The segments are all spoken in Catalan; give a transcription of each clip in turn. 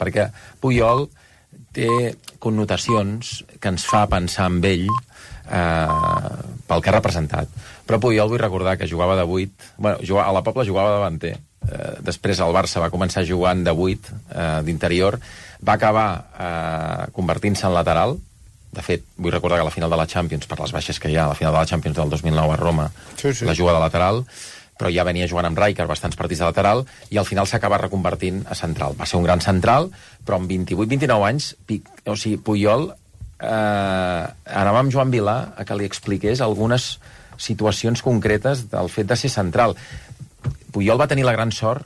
perquè Puyol té connotacions que ens fa pensar en ell pel que ha representat. Però Puyol, vull recordar que jugava de 8, bueno, a la Pobla jugava davanter, després al Barça va començar jugant de 8 d'interior, va acabar convertint-se en lateral. De fet, vull recordar que a la final de la Champions, per les baixes que hi ha, a la final de la Champions del 2009 a Roma, la juga de lateral, però ja venia jugant amb Rijkaard bastants partits de lateral, i al final s'acaba reconvertint a central. Va ser un gran central, però amb 28-29 anys, o sigui, Puyol anava amb Joan Vilà a que li expliqués algunes situacions concretes del fet de ser central. Puyol va tenir la gran sort,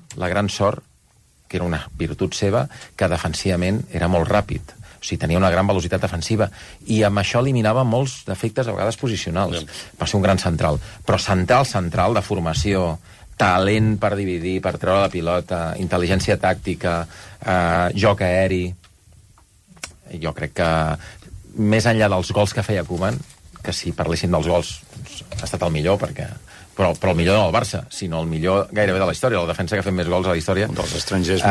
que era una virtut seva, que defensivament era molt ràpid. O sigui, tenia una gran velocitat defensiva, i amb això eliminava molts defectes, a vegades posicionals. Va ser un gran central. Però central de formació, talent per dividir, per treure la pilota, intel·ligència tàctica, joc aeri... Jo crec que, més enllà dels gols que feia Koeman, que si parléssim dels gols, ha estat el millor, perquè... Però el millor no del Barça, sinó el millor gairebé de la història, la defensa que ha fet més gols a la història. Un dels estrangers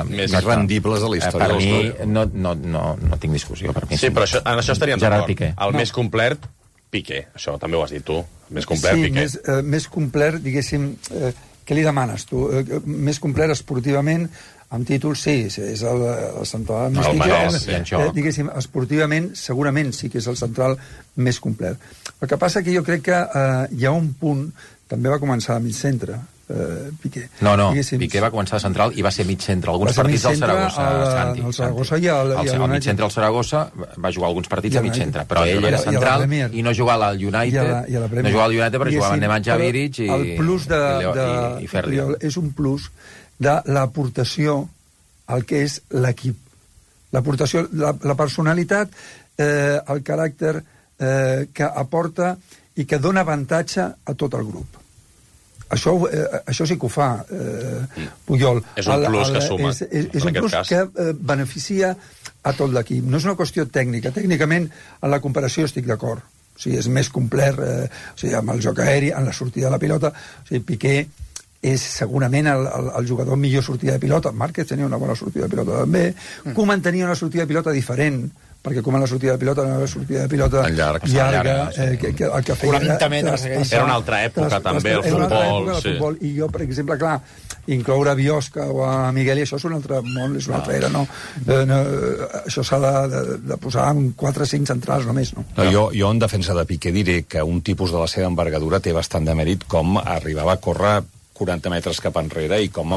més rendibles de la història. Per mi, no tinc discussió. Per mi, sí, però en això estaríem d'acord. Piqué. El més complet, Piqué. Això també ho has dit tu. Més complet, Piqué. Sí, més complet, diguéssim... Què li demanes, tu? Més complet esportivament, amb títols, sí, és el central més complet. Diguéssim, esportivament, segurament sí que és el central més complet. El que passa que jo crec que hi ha un punt, també va començar a mig centre, Piqué. No, Piqué va començar de central i va ser mig centre. Alguns partits del Saragossa, Santi. El Saragossa i el mig centre al Saragossa va jugar alguns partits a mig centre, però ell era central i no jugava al United. No jugava al United, però jugava amb Nemanja Vidic i Ferri. És un plus de l'aportació al que és l'equip. L'aportació, la personalitat, el caràcter que aporta i que dona avantatge a tot el grup. Això sí que ho fa Puyol. És un plus que suma. És un plus que beneficia a tot l'equip. No és una qüestió tècnica. Tècnicament, en la comparació estic d'acord. O sigui, és més complet amb el joc aeri, en la sortida de la pilota. O sigui, Piqué és segurament el jugador millor sortida de pilota. Márquez tenia una bona sortida de pilota també. Koeman tenia una sortida de pilota diferent, perquè com la sortida de pilota no era una sortida de pilota llarga, el que feia 40 metres. Era una altra època també, el futbol. I jo, per exemple, clar, incloure a Biosca o a Miguel, i això és un altre món, és una altra era, no? Això s'ha de posar en 4 o 5 centrals només, no? Jo en defensa de Piqué diré que un tipus de la seva envergadura té bastant de mèrit, com arribava a córrer 40 metres cap enrere i com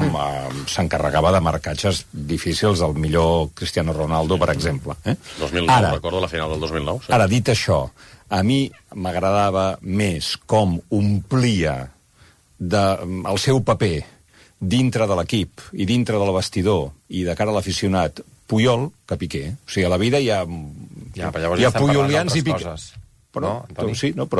s'encarregava de marcatges difícils del millor Cristiano Ronaldo, per exemple. 2009, recordo la final del 2009. Sí. Ara, dit això, a mi m'agradava més com omplia el seu paper dintre de l'equip i dintre del vestidor i de cara a l'aficionat Puyol que Piqué. O sigui, a la vida hi ha puyolians i Piqué. Però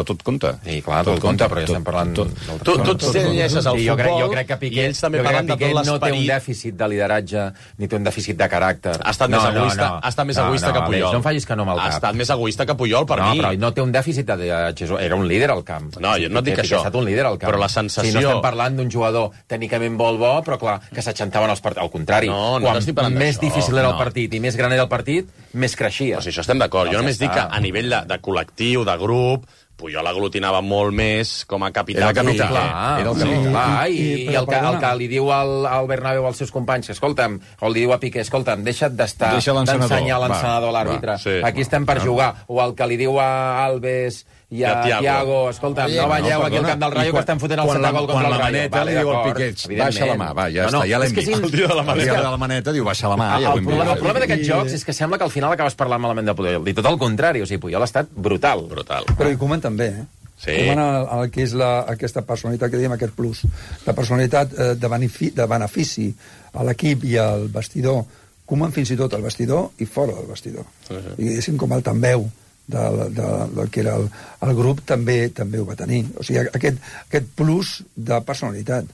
tot compta. Sí, clar, tot compta, però ja estem parlant... Tu llegeixes el futbol jo crec que Piqué, i ells també parlen de tot l'esperit. No té un dèficit de lideratge ni té un dèficit de caràcter. Ha estat més egoista que Puyol. No em facis que no amb el cap. Ha estat més egoista que Puyol, per mi. No, però no té un dèficit de lideratge. Era un líder al camp. No, jo no dic això. Ha estat un líder al camp. Però la sensació... Si no estem parlant d'un jugador tècnicament molt bo, però clar, que s'aixantaven els partits. Al contrari, quan més difícil era el partit i més gran era el partit, més creixia. Si això estem d'acord. Jo només dic que a nivell de col·lectiu, de grup, Puyol aglutinava molt més com a capità. Era el capità. I el que li diu al Bernabéu als seus companys, escolta'm, o li diu a Piqué, escolta'm, deixa't d'ensenyar l'encenedor a l'àrbitre. Aquí estem per jugar. O el que li diu a Alves i a Thiago, escolta'm, no balleu aquí al camp del Rayo que estem fotent el 7 gol contra el Rayo. Quan la maneta li diu al Piqué, baixa la mà, va, ja està, ja l'hem vist. El dia de la maneta diu, baixa la mà, ja ho hem vist. El problema d'aquests jocs és que sembla que al final acabes parlant malament de Puyol. I tot el contrari, o sigui, Puyol ha estat brutal. Però i Koeman també, Sí. Koeman, el que és aquesta personalitat que diem, aquest plus, la personalitat de benefici a l'equip i al vestidor, Koeman fins i tot al vestidor i fora del vestidor. I diguéssim com el tambeu del que era el grup també ho va tenir. O sigui, aquest plus de personalitat.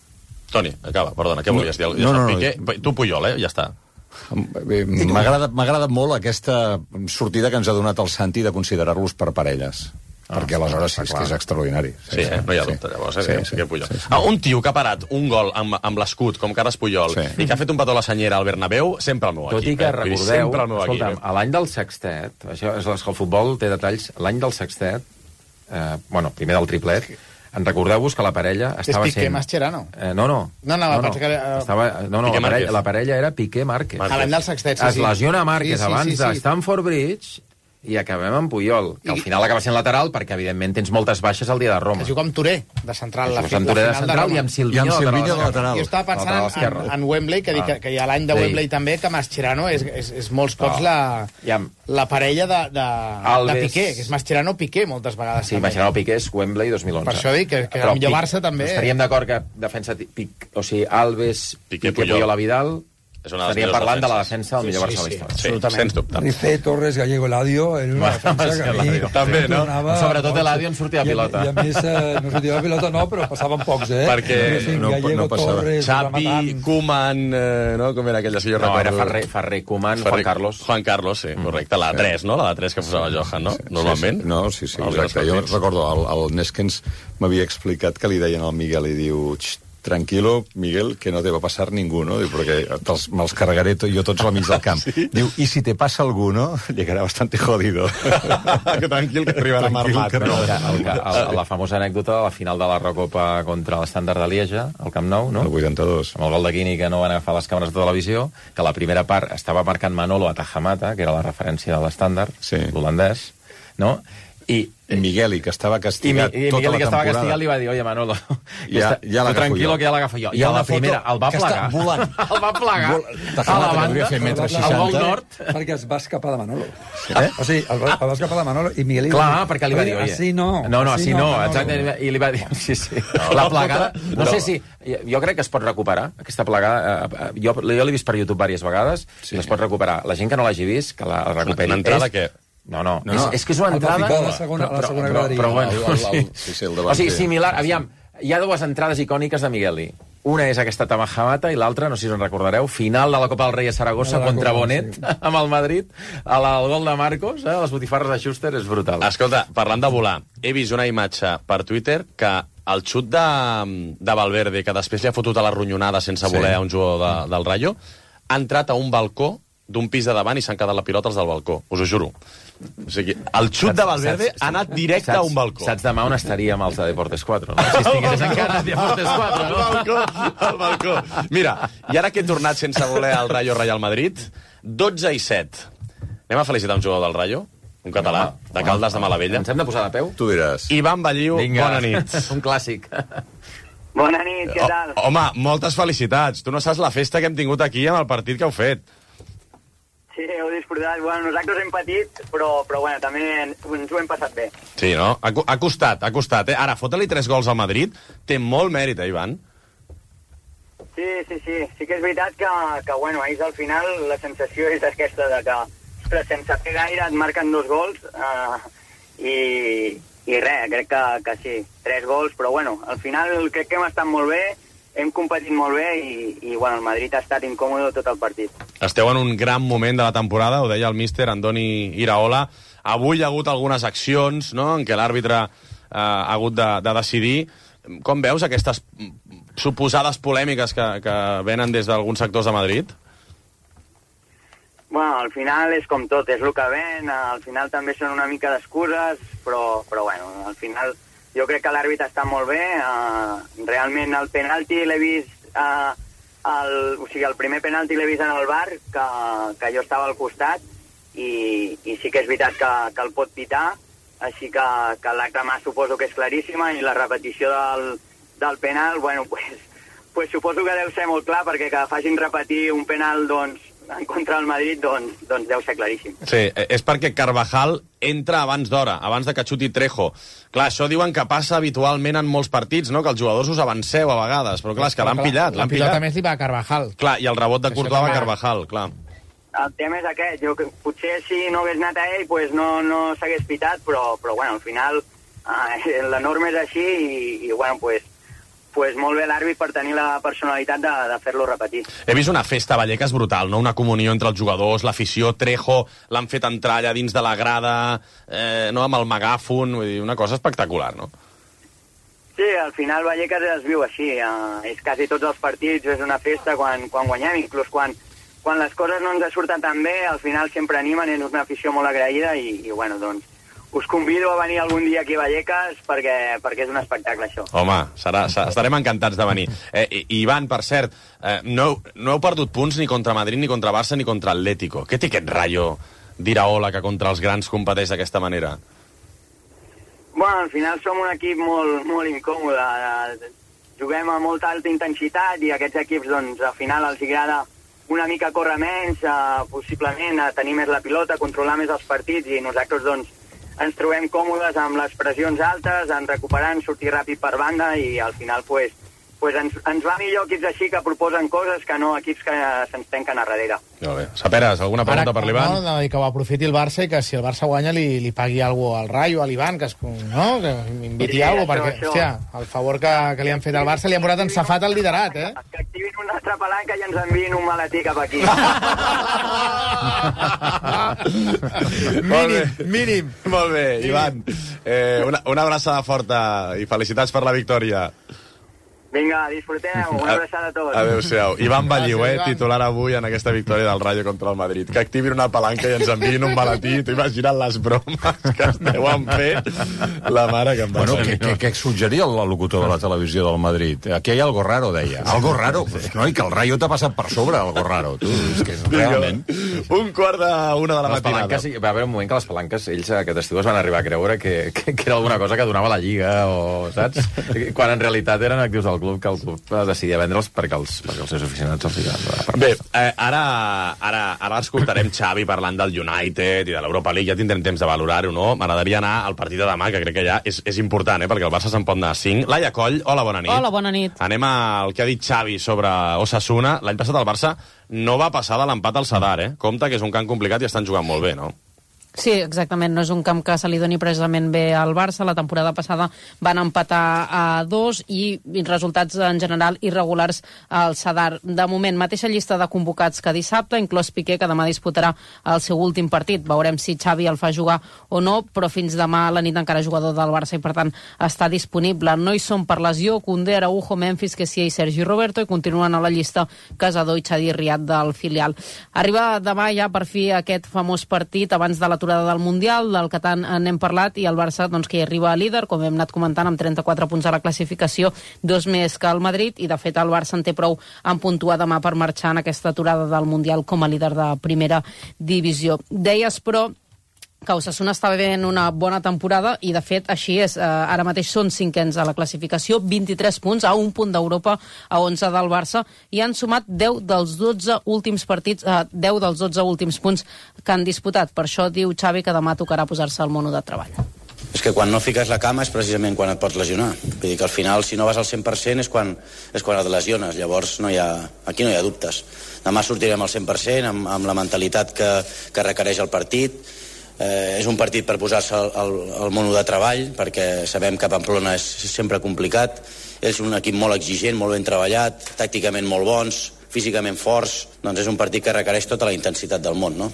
Toni, acaba, perdona, què volies dir? Piqué, tu Puyol, ja està. M'ha agradat molt aquesta sortida que ens ha donat el Santi de considerar-los per parelles. perquè aleshores és que és extraordinari. Sí, no hi ha dubte, llavors, sí que Puyol. Un tio que ha parat un gol amb l'escut, com Carles Puyol, i que ha fet un petó a la senyera al Bernabéu, sempre el meu equip. Tot i que recordeu, escolta'm, a l'any del sextet, això és que el futbol té detalls, l'any del sextet, primer del triplet, en recordeu-vos que la parella estava sent... És Piqué Mascherano. No, la parella era Piqué Márquez. A l'any del sextet, sí. Es lesiona Márquez abans de Stamford Bridge i acabem amb Puyol, que al final acaba sent lateral perquè, evidentment, tens moltes baixes al dia de Roma. Que juga amb Touré, de central. Amb Touré de central i amb Silvinho de lateral. Jo estava pensant en Wembley, que hi ha l'any de Wembley també, que Mascherano és molts cops la parella de Piqué, que és Mascherano-Piqué moltes vegades. Sí, Mascherano-Piqué és Wembley 2011. Per això dic que el millor Barça també... Estaríem d'acord que defensa Alves, Piqué, Puyol a Vidal... Estaríem parlant de la defensa del millor Barça de la història. Sí, sens dubte. Rifé, Torres, Gallego, Eladio... Una defensa que a mi... També, no? Sobretot Eladio en sortia pilota. I a més, no sortia pilota, no, però passaven pocs, Perquè Gallego, Torres... Xavi, Koeman... Com era aquella, si jo recordo? No, era Ferrer, Koeman, Juan Carlos. Juan Carlos, sí, correcte. La 3, no? La de 3 que posava Johan, no? Normalment. No, sí, exacte. Jo recordo, el Neskens m'havia explicat que li deien al Miguel i diu... Tranquilo, Miguel, que no te va passar ningú, no? Diu, perquè me'ls carregaré jo tots al mig del camp. Sí? Diu, i si te passa algú, no? Llegarà bastante jodido. Que tranquil, que arribarà armat. La famosa anècdota de la final de la Recopa contra l'Estàndard de Lieja, al Camp Nou, no? El 82. Amb el gol de Quini, que no van agafar les càmeres de televisió, que la primera part estava marcant Manolo a Tajamata, que era la referència de l'Estàndard, l'holandès, no? I Migueli, que estava castigat tota la temporada. I Migueli, que estava castigat, li va dir, oye, Manolo, ja tranquilo, que ja l'agafo jo. I a la primera el va plegar. El va plegar a la banda, al gol nord. Perquè es va escapar de Manolo. O sigui, el va escapar de Manolo i Migueli... Clar, perquè li va dir, oye... Així no. No, així no, exacte. I li va dir, sí. La plegada... No sé si... Jo crec que es pot recuperar, aquesta plegada. Jo l'he vist per YouTube diverses vegades i es pot recuperar. La gent que no l'hagi vist, que la recuperi. L'entrada què? No. És que és una entrada... A la segona graderia. Però bueno, o sigui, similar... Aviam, hi ha dues entrades icòniques de Migueli. Una és aquesta Tamajamata i l'altra, no sé si us en recordareu, final de la Copa del Rei a Saragossa contra Bonet, amb el Madrid, el gol de Marcos, les botifarres de Schuster, és brutal. Escolta, parlant de volar, he vist una imatge per Twitter que el xut de Valverde, que després li ha fotut a la ronyonada sense voler a un jugador del Rayo, ha entrat a un balcó d'un pis de davant i s'han quedat la pilota els del balcó, us ho juro. O sigui, el xut de Valverde ha anat directe a un balcó. Saps demà on estaríem els de Deportes 4, no? Si estigués encara a Deportes 4, no? Al balcó. Mira, i ara que he tornat sense voler al Rayo Real Madrid, 12-7. Anem a felicitar un jugador del Rayo, un català, de Caldes de Malavella. Ens hem de posar de peu? Tu diràs. Ivan Balliu, bona nit. Un clàssic. Bona nit, què tal? Home, moltes felicitats. Tu no saps la festa que hem tingut aquí amb el partit que heu fet. Sí, heu disfrutat. Bueno, nosaltres hem patit, però bueno, també ens ho hem passat bé. Sí, no? Ha costat, eh? Ara, fotre-li 3 gols al Madrid té molt mèrit, Ivan? Sí. Sí que és veritat que bueno, ahir al final la sensació és aquesta de que, ostres, sense fer gaire et marquen 2 gols i res, crec que sí, 3 gols, però bueno, al final crec que hem estat molt bé, hem competit molt bé i bueno, el Madrid ha estat incòmode tot el partit. Esteu en un gran moment de la temporada, ho deia el míster Andoni Iraola. Avui hi ha hagut algunes accions, no?, en què l'àrbitre ha hagut de decidir. Com veus aquestes suposades polèmiques que venen des d'alguns sectors de Madrid? Bueno, al final és com tot, és el que ven, al final també són una mica d'excuses, però bueno, al final... Jo crec que l'àrbitre està molt bé. Realment el penalti l'he vist... o sigui, el primer penalti l'he vist en el VAR, que jo estava al costat, i sí que és veritat que el pot pitar, així que l'acte mà suposo que és claríssima, i la repetició del penal, bueno, pues suposo que deu ser molt clar, perquè que facin repetir un penal, doncs, en contra del Madrid, doncs deu ser claríssim. Sí, és perquè Carvajal entra abans d'hora, abans de que xuti Trejo. Clar, això diuen que passa habitualment en molts partits, no?, que els jugadors us avanceu a vegades, però clar, és que l'han pillat. La pilota més li va a Carvajal. Clar, i el rebot de Courtois va a Carvajal, clar. El tema és aquest, potser si no hagués anat a ell, pues no s'hagués pitat, però bueno, al final la norma és així i bueno, pues pues molt bé l'àrbit per tenir la personalitat de fer-lo repetir. He vist una festa a Vallecas brutal, no? Una comunió entre els jugadors, l'afició, Trejo, l'han fet entrar allà dins de la grada, no? Amb el megàfon, vull dir, una cosa espectacular, no? Sí, al final Vallecas es viu així, és quasi tots els partits, és una festa quan guanyem, inclús quan les coses no ens surten tan bé, al final sempre animen, és una afició molt agraïda i bueno, doncs, us convido a venir algun dia aquí a Vallecas perquè és un espectacle, això. Home, estarem encantats de venir. Ivan, per cert, no heu perdut punts ni contra Madrid, ni contra Barça, ni contra Atlético. Què té aquest Rayo d'Iraola que contra els grans competeix d'aquesta manera? Bueno, al final som un equip molt, molt incòmode. Juguem a molta alta intensitat i aquests equips, doncs, al final els agrada una mica córrer menys, possiblement tenir més la pilota, controlar més els partits i nosaltres, doncs, ens trobem còmodes amb les pressions altes, en recuperant, sortir ràpid per banda i al final pues ens va millor equips així que proposen coses que no equips que se'ns tanquen a darrere. Molt bé. Saperes, alguna pregunta per l'Ivan? No, que ho aprofiti el Barça i que si el Barça guanya li pagui alguna cosa al Rayo, a l'Ivan, que m'inviti alguna cosa, perquè, hòstia, el favor que li han fet al Barça li han posat en safat el liderat, eh? Que activin una altra palanca i ens enviïn un maletí cap aquí. Mínim. Molt bé, Ivan. Una abraçada forta i felicitats per la victòria. Vinga, disfruteu, una abraçada a tots. Adéu-siau. Ivan Balliu, titular avui en aquesta victòria del Rayo contra el Madrid. Que activin una palanca i ens enviïn un maletí. T'ho imagina't les bromes que es deuen fer la mare que em va ser. Què suggeria el locutor de la televisió del Madrid? Aquí hi ha algo raro, deia. Algo raro? No, i que el Rayo t'ha passat per sobre, algo raro. Tu, és que és realment... 1:45 de la matinada. Va haver un moment que les palanques, ells aquest estiu es van arribar a creure que era alguna cosa que donava la Lliga, o saps? Quan en realitat eren actius del club, que el club decidia vendre'ls perquè els seus aficionats els ficaven. Bé, ara escoltarem Xavi parlant del United i de l'Europa League, ja tindrem temps de valorar-ho, no? M'agradaria anar al partit de demà, que crec que ja és important, perquè el Barça se'n pot anar a 5. Laia Coll, hola, bona nit. Hola, bona nit. Anem al que ha dit Xavi sobre Osasuna. L'any passat el Barça no va passar de l'empat al Sadar, Compte que és un camp complicat i estan jugant molt bé, no? Sí, exactament, no és un camp que se li doni precisament bé al Barça. La temporada passada van empatar a 2 i resultats en general irregulars al Sadar. De moment, mateixa llista de convocats que dissabte, inclòs Piqué, que demà disputarà el seu últim partit. Veurem si Xavi el fa jugar o no, però fins demà a la nit encara jugador del Barça i per tant està disponible. No hi són per lesió Koundé, Araujo, Memphis, Kessie i Sergi Roberto, i continuen a la llista Casador i Xavi Riad del filial. Arriba demà ja per fi aquest famós partit abans de l'aturada del Mundial, del que tant n'hem parlat, i el Barça, doncs, que hi arriba a líder, com hem anat comentant, amb 34 punts a la classificació, 2 més que el Madrid, i de fet el Barça en té prou en puntuar demà per marxar en aquesta aturada del Mundial com a líder de primera divisió. Deies, però, que Osasuna està veient una bona temporada i de fet així és, ara mateix són 5ens a la classificació, 23 punts, a un punt d'Europa, a 11 del Barça, i han sumat 10 dels 12 últims partits, 10 dels 12 últims punts que han disputat. Per això diu Xavi que demà tocarà posar-se al mono de treball. És que quan no fiques la cama és precisament quan et pots lesionar. Vull dir que al final, si no vas al 100% és quan et lesiones. Llavors aquí no hi ha dubtes. Demà sortirem al 100% amb la mentalitat que requereix el partit. És un partit per posar-se al mono de treball, perquè sabem que Pamplona és sempre complicat. És un equip molt exigent, molt ben treballat, tàcticament molt bons, físicament forts. Doncs és un partit que requereix tota la intensitat del món, no?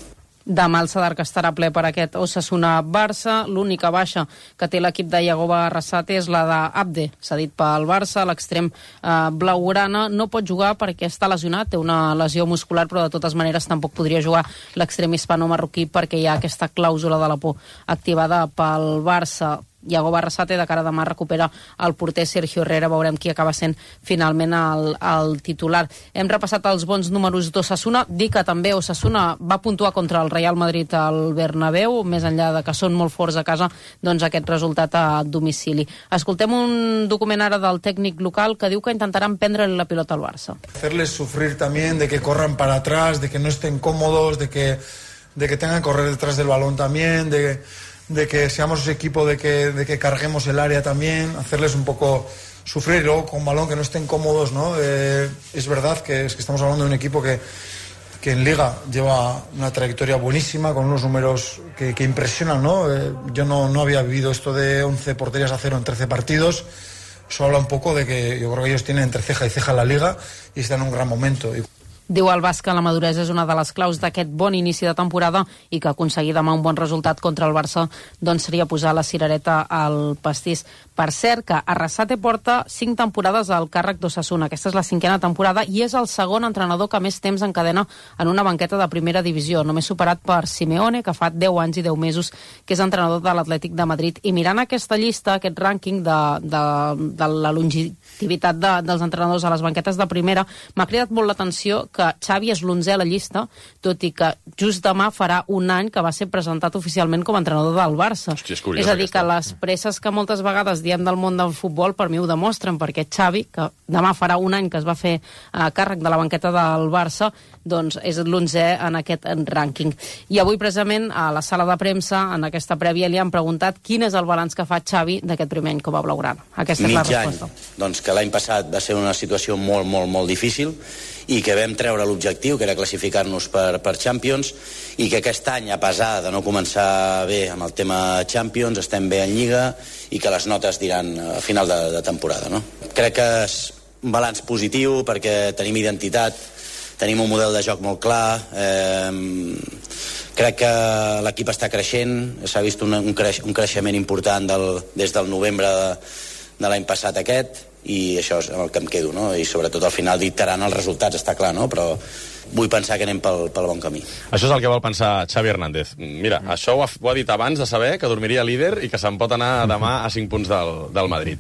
Demà el Sadar, que estarà ple per aquest Osasuna-Barça. L'única baixa que té l'equip de Yagoba Arrasate és la d'Abde, cedit pel Barça. L'extrem blaugrana no pot jugar perquè està lesionat, té una lesió muscular, però de totes maneres tampoc podria jugar l'extrem hispano-marroquí perquè hi ha aquesta clàusula de la por activada pel Barça. Yagoba Arrasate de cara a demà recupera el porter Sergio Herrera, veurem qui acaba sent finalment el titular. Hem repassat els bons números d'Osasuna, dir que també Osasuna va puntuar contra el Real Madrid al Bernabéu, més enllà de que són molt forts a casa, doncs aquest resultat a domicili. Escoltem un document ara del tècnic local que diu que intentaran prendre la pilota al Barça. Hacerles sufrir también, de que corran para atrás, de que no estén cómodos, de que tengan que correr detrás del balón también, de que seamos ese equipo de que carguemos el área también, hacerles un poco sufrir, y luego con balón que no estén cómodos, ¿no? Es verdad que estamos hablando de un equipo que en Liga lleva una trayectoria buenísima, con unos números que impresionan, ¿no? Yo no había vivido esto de 11 porterías a 0 en 13 partidos. eso habla un poco de que yo creo que ellos tienen entre ceja y ceja la Liga y están en un gran momento. Diu el Basc que la maduresa és una de les claus d'aquest bon inici de temporada i que aconseguir demà un bon resultat contra el Barça doncs seria posar la cirereta al pastís. Per cert, que Arrasate porta 5 temporades al càrrec d'Osasuna. Aquesta és la 5a temporada i és el segon entrenador que més temps encadena en una banqueta de primera divisió, només superat per Simeone, que fa 10 anys i 10 mesos que és entrenador de l'Atlètic de Madrid. I mirant aquesta llista, aquest rànquing de la longevitat dels entrenadors a les banquetes de primera, m'ha cridat molt l'atenció que Xavi és l'11è a la llista, tot i que just demà farà un any que va ser presentat oficialment com a entrenador del Barça. Hòstia, és curiós, és a dir, que les presses que moltes vegades diem del món del futbol, per mi ho demostren, perquè Xavi, que demà farà un any que es va fer a càrrec de la banqueta del Barça, doncs és l'11è en aquest rànquing. I avui, precisament, a la sala de premsa, en aquesta prèvia, li han preguntat quin és el balanç que fa Xavi d'aquest primer any com a blaugrana. Aquesta és la resposta. Doncs que l'any passat va ser una situació molt, molt, molt difícil i que vam treure l'objectiu, que era classificar-nos per Champions, i que aquest any, a pesar de no començar bé amb el tema Champions, estem bé en Lliga i que les notes diran a final de temporada, no? Crec que és un balanç positiu perquè tenim identitat, tenim un model de joc molt clar, crec que l'equip està creixent, s'ha vist un creixement important des del novembre de l'any passat aquest, i això és el que em quedo, no? I sobretot al final dictaran els resultats, està clar, no? Però vull pensar que anem pel bon camí. Això és el que vol pensar Xavi Hernández. Mira, això ho ha dit abans de saber que dormiria líder i que se'n pot anar demà a 5 punts del Madrid.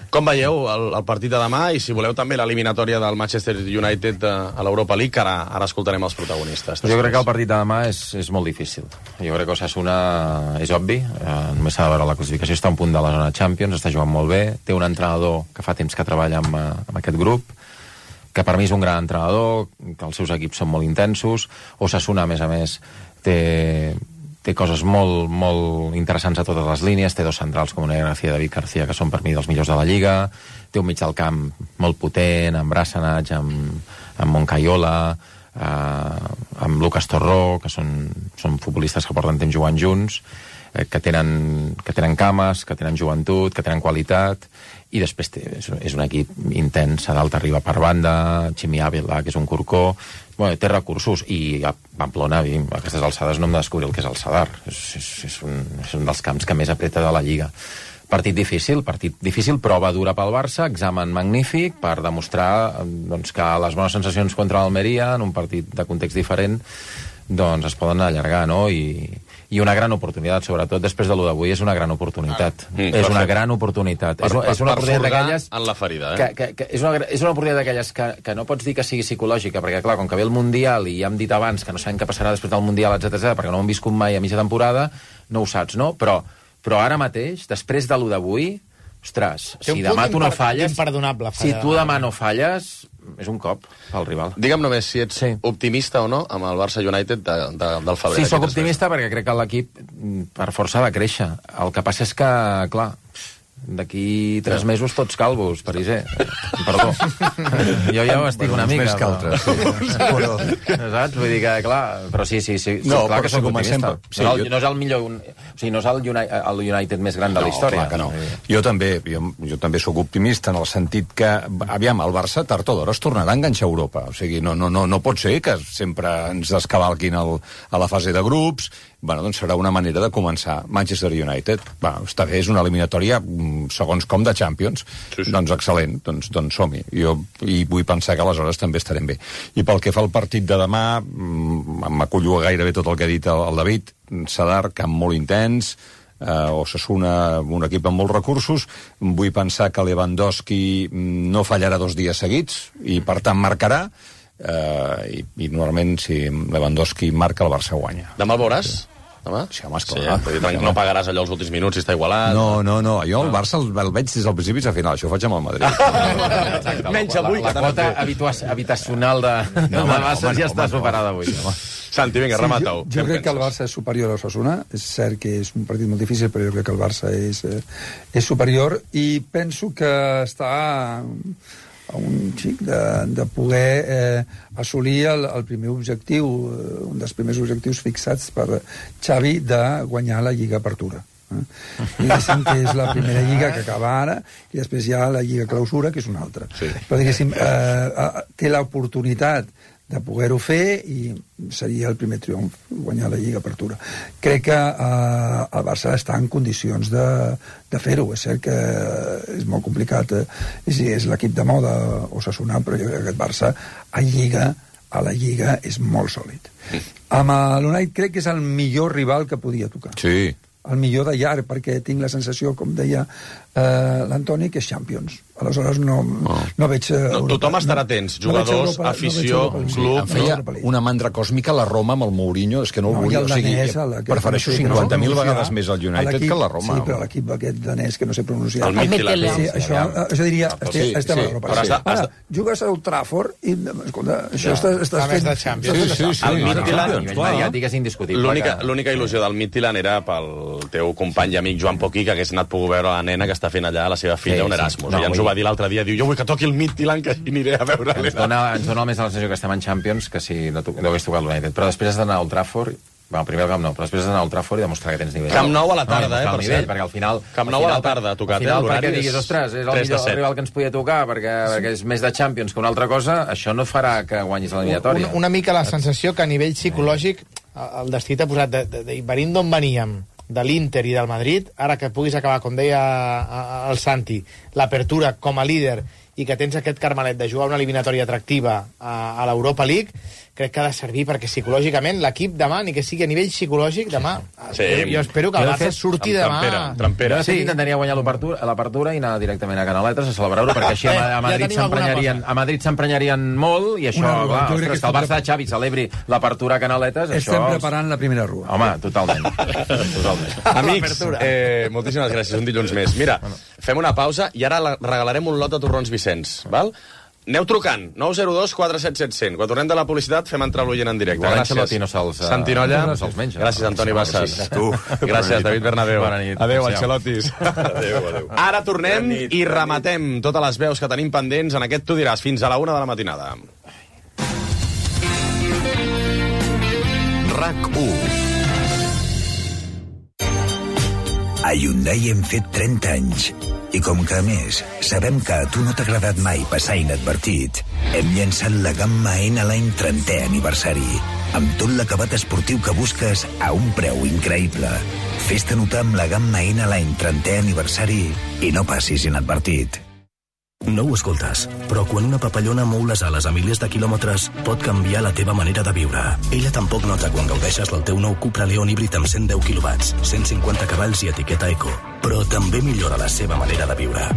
Com veieu el partit de demà i si voleu també l'eliminatòria del Manchester United a l'Europa League, que ara escoltarem els protagonistes. Jo crec que el partit de demà és molt difícil. Jo crec que Osasuna és obvi, només s'ha de veure la classificació, està a un punt de la zona Champions, està jugant molt bé, té un entrenador que fa temps que treballa amb aquest grup, que per mi és un gran entrenador, que els seus equips són molt intensos. Osasuna, a més, té coses molt, molt interessants a totes les línies, té 2 centrals com Unai García i David García, que són per mi dels millors de la Lliga, té un mig del camp molt potent, amb Brassanach, amb Moncayola, amb Lucas Torró, que són futbolistes que porten temps jugant junts, que tenen cames, que tenen joventut, que tenen qualitat, i després és un equip intens, a dalt arriba per banda, Ximi Ávila, que és un corcó, té recursos, i a Pamplona, a aquestes alçades no hem de descobrir el que és el Sadar, és un dels camps que més apreta de la Lliga. Partit difícil, prova dura pel Barça, examen magnífic per demostrar que les bones sensacions contra l'Almeria, en un partit de context diferent, doncs es poden allargar, no? I una gran oportunitat, sobretot després de lo d'avui, és una gran oportunitat. És una gran oportunitat. És una oportunitat d'aquelles... en la ferida, És una oportunitat d'aquelles que no pots dir que sigui psicològica, perquè, clar, com que ve el Mundial, i ja hem dit abans que no sabem què passarà després del Mundial, etc., perquè no ho hem viscut mai a mitja temporada, no ho saps, no? Però ara mateix, després de lo d'avui, ostres, si demà tu no falles... Si tu demà no falles, és un cop pel rival. Digue'm només si ets optimista o no amb el Barça United del febrer. Sí, sóc optimista perquè crec que l'equip per força ha de créixer. El que passa és que, clar, d'aquí 3 mesos tots calvos, Pariser. Perdó. Jo ja ho estic una mica. Més que altres. Saps? Vull dir que, clar, però sí, clar que soc optimista. No és el millor... O sigui, no és el United més gran de la història. Clar que no. Jo també soc optimista en el sentit que, aviam, el Barça tard o d'hora es tornarà a enganxar a Europa. O sigui, no pot ser que sempre ens descavalquin a la fase de grups. Bueno, doncs serà una manera de començar. Manchester United, està bé, és una eliminatòria segons com de Champions. Sí. Doncs excel·lent, doncs som-hi. I vull pensar que aleshores també estarem bé. I pel que fa al partit de demà, m'acullo gairebé tot el que ha dit el David. Sadar, camp molt intens, Osasuna, un equip amb molts recursos. Vull pensar que Lewandowski no fallarà 2 dies seguits i per tant marcarà. I normalment si Lewandowski marca, el Barça guanya. Demà el veuràs? Demà? Sí, home, esclar. Sí, no pagaràs allò els últims minuts si està igualat. No. Jo el Barça el veig des del principi fins al final. Això ho faig amb el Madrid. Menys avui. La quota habitacional de Barça ja està superada avui. Santi, vinga, remata-ho. Jo crec que el Barça és superior a Osasuna. És cert que és un partit molt difícil, però jo crec que el Barça és superior i penso que està a un xic de poder assolir el primer objectiu, un dels primers objectius fixats per Xavi de guanyar la Lliga Apertura. Diguéssim que és la primera lliga que acaba ara i després hi ha la lliga clausura, que és una altra. Però diguéssim, té l'oportunitat de poder-ho fer i seria el primer triomf, guanyar la Lliga Apertura. Crec que el Barça està en condicions de fer-ho. És cert que és molt complicat, és l'equip de moda Osasuna, però jo crec que aquest Barça a la Lliga és molt sòlid. Amb l'United crec que és el millor rival que podia tocar. Sí. El millor de llarg, perquè tinc la sensació, com deia l'Antoni, que és Champions. Aleshores no veig... Tothom estarà atents, jugadors, afició, club... Em feia una mandra còsmica la Roma amb el Mourinho, és que no el volia... O sigui, prefereixo 50.000 vegades més el United que la Roma. Sí, però l'equip aquest danès, que no sé pronunciar... El Midtjylland. Això diria... Estem a l'Europa. Ara, jugues a Old Trafford i... Escolta, això estàs fent... de Champions. Sí. El Midtjylland... A nivell mediàtic és indiscutible. L'única il·lusió del Midtjylland era pel teu company i amic Joan Poquí, que hagués anat pogut veure la nena que està fent allà, la seva filla, un Erasmus. I ens ho va dir l'altre dia, diu, jo vull que toqui el Midtjylland, que aniré a veure ens dona més la sensació que estem en Champions que si no hagués tocat l'United. Però després has d'anar a Old Trafford, primer al Camp Nou, però després has d'anar a Old Trafford i demostrar que tens nivell. Camp Nou a la tarda, per cert. Perquè al final... Camp Nou a la tarda, ha tocat, l'horari. Perquè diguis, ostres, és el millor rival que ens podia tocar, perquè és més de Champions que una altra cosa, això no farà que guanyis l'eliminatòria. Una mica la sensació que a nivell psicològic el destí t'ha posat venint d'on veníem, de l'Inter i del Madrid, ara que puguis acabar, com deia el Santi, l'apertura com a líder i que tens aquest carmelet de jugar una eliminatòria atractiva a l'Europa League, crec que ha de servir perquè psicològicament l'equip demà, ni que sigui a nivell psicològic, demà... Jo espero que el Barça surti demà... Trampera. Sí, intentaria guanyar l'apertura i anar directament a Canaletes a celebrar-ho, perquè així a Madrid s'emprenyarien molt i això, clar, ostres, que el Barça de Xavi celebri l'apertura a Canaletes... Estem preparant la primera rua. Home, totalment. Amics, moltíssimes gràcies, un dilluns més. Mira, fem una pausa i ara regalarem un lot de torrons Vicenç, val? Aneu trucant, 902 47 700. Quan tornem de la publicitat fem entrar l'oient en directe. Gràcies. Santinolla. Gràcies, Antoni Bassas. Gràcies, David Bernabéu. Adéu, Ancelotis. Adéu. Ara tornem i rematem totes les veus que tenim pendents en aquest Tu diràs fins a la 1 de la matinada. RAC1. A Hyundai hem fet 30 anys. I com que, a més, sabem que a tu no t'ha agradat mai passar inadvertit, hem llançat la gamma N-Line 30è aniversari, amb tot l'acabat esportiu que busques a un preu increïble. Fes-te notar amb la gamma N-Line 30è aniversari i no passis inadvertit. No ho escoltes, però quan una papallona mou les ales a milers de quilòmetres pot canviar la teva manera de viure. Ella tampoc nota quan gaudeixes del teu nou Cupra Leon híbrid amb 110 kW, 150 cavalls i etiqueta eco, però també millora la seva manera de viure.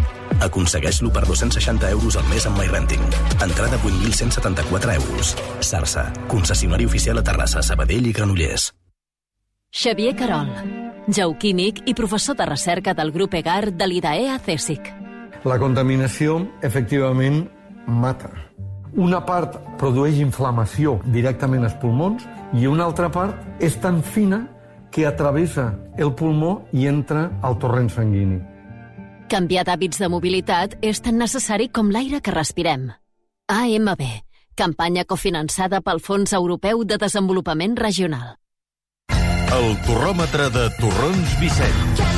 Aconsegueix-lo per 260 euros al mes amb MyRenting. Entrada 8.174 euros. Sarsa, concessionari oficial a Terrassa, Sabadell i Granollers. Xavier Carol, geoquímic i professor de recerca del grup EGAR de l'IDAE a CSIC. La contaminació, efectivament, mata. Una part produeix inflamació directament als pulmons i una altra part és tan fina que atravessa el pulmó i entra al torrent sanguini. Canviar d'hàbits de mobilitat és tan necessari com l'aire que respirem. AMB, campanya cofinançada pel Fons Europeu de Desenvolupament Regional. El torròmetre de Torrons Vicenç.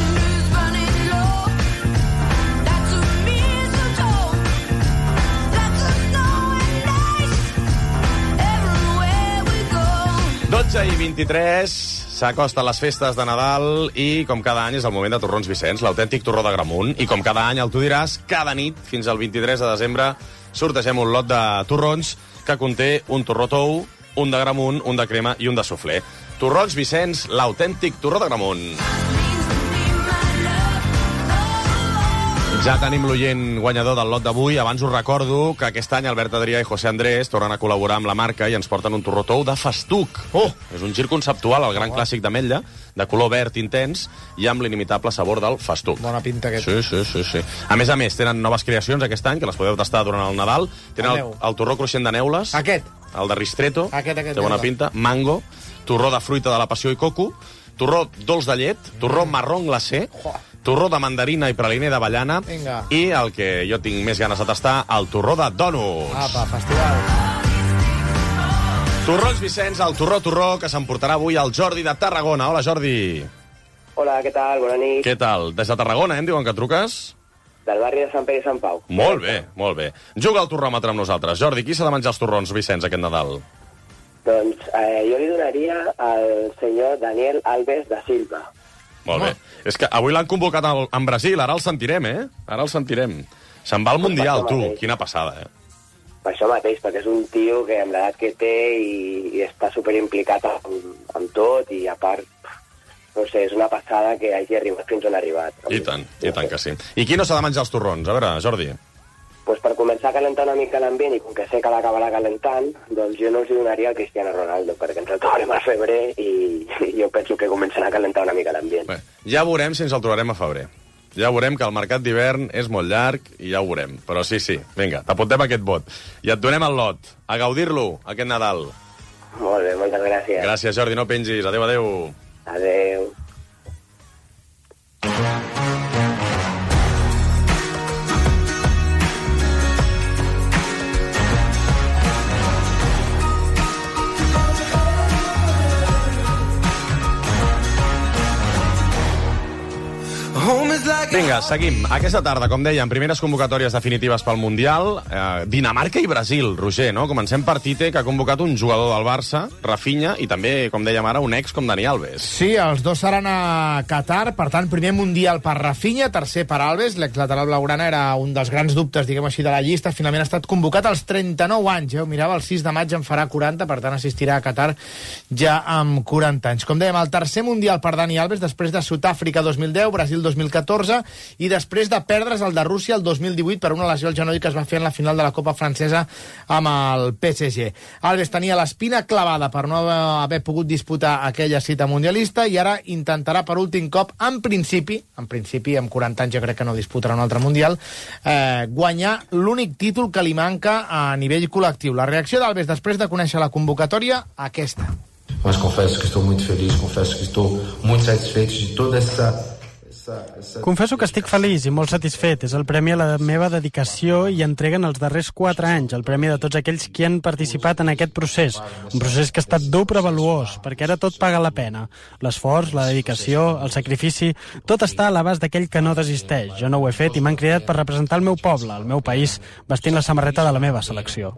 I 23, s'acosten les festes de Nadal i, com cada any, és el moment de Torrons Vicenç, l'autèntic torró d'Agramunt. I com cada any, el Tu diràs, cada nit, fins al 23 de desembre, sortegem un lot de torrons que conté un torró tou, un d'Agramunt, un de crema i un de suflé. Torrons Vicenç, l'autèntic torró d'Agramunt. Ja tenim l'oient guanyador del lot d'avui. Abans us recordo que aquest any Albert Adrià i José Andrés tornen a col·laborar amb la marca i ens porten un torró tou de festuc. És un gir conceptual, el gran clàssic d'Ametlla, de color verd intens i amb l'inimitable sabor del festuc. Bona pinta aquest. Sí. A més, tenen noves creacions aquest any, que les podeu tastar durant el Nadal. Tenen el torró cruixent de neules. Aquest. El de ristretto. Aquest. Té bona pinta. Mango. Torró de fruita de la passió i coco. Torró dolç de llet. Torró marrón glacé. Torró de mandarina i praliner d'avellana. I el que jo tinc més ganes de tastar, el torró de dònuts. Apa, festival. Torrons Vicenç, el torró que s'emportarà avui el Jordi de Tarragona. Hola, Jordi. Hola, què tal? Bona nit. Què tal? Des de Tarragona, em diuen que truques? Del barri de Sant Pere i Sant Pau. Molt bé, molt bé. Juga el torròmetre amb nosaltres. Jordi, qui s'ha de menjar els torrons, Vicenç, aquest Nadal? Doncs jo li donaria al senyor Daniel Alves da Silva. Molt bé. És que avui l'han convocat en Brasil, ara el sentirem, eh? Ara el sentirem. Se'n va al Mundial, tu. Quina passada, eh? Per això mateix, perquè és un tio que amb l'edat que té i està superimplicat amb tot i a part, no sé, és una passada que hagi arribat fins on ha arribat. I tant que sí. I qui no s'ha de menjar els torrons? A veure, Jordi. Pues per començar a calentar una mica l'ambient i com que sé que l'acabarà calentant, doncs jo no els donaria al Cristiano Ronaldo, perquè ens el trobarem al febrer i jo penso que començarà a calentar una mica l'ambient. Bé, ja veurem si ens el trobarem a febrer. Ja veurem que el mercat d'hivern és molt llarg i ja ho veurem. Però sí, vinga, t'apuntem aquest vot. I et donem el lot. A gaudir-lo, aquest Nadal. Molt bé, moltes gràcies. Gràcies, Jordi, no pengis. Adéu, adéu. Adéu. Vinga, seguim. Aquesta tarda, com dèiem, primeres convocatòries definitives pel Mundial. Dinamarca i Brasil, Roger, no? Comencem per Tite, que ha convocat un jugador del Barça, Rafinha, i també, com dèiem ara, un ex com Dani Alves. Sí, els dos seran a Qatar, per tant, primer Mundial per Rafinha, tercer per Alves, l'exlateral blaugrana era un dels grans dubtes, diguem així, de la llista, finalment ha estat convocat als 39 anys, ho mirava, el 6 de maig en farà 40, per tant assistirà a Qatar ja amb 40 anys. Com dèiem, el tercer Mundial per Dani Alves, després de Sud-àfrica 2010, Brasil 2014, i després de perdre's el de Rússia el 2018 per una lesió al genoll que es va fer en la final de la Copa Francesa amb el PSG. Alves tenia l'espina clavada per no haver pogut disputar aquella cita mundialista i ara intentarà per últim cop, en principi amb 40 anys jo crec que no disputarà un altre Mundial, guanyar l'únic títol que li manca a nivell col·lectiu. La reacció d'Alves després de conèixer la convocatòria, aquesta. Mas confesso que estou muito feliz, confesso que estou muito satisfeito de toda essa... Confesso que estic feliç i molt satisfet. És el premi a la meva dedicació i entrega en els darrers 4 anys, el premi de tots aquells que han participat en aquest procés. Un procés que ha estat dur però valuós, perquè ara tot paga la pena. L'esforç, la dedicació, el sacrifici, tot està a l'abast d'aquell que no desisteix. Jo no ho he fet i m'han cridat per representar el meu poble, el meu país, vestint la samarreta de la meva selecció.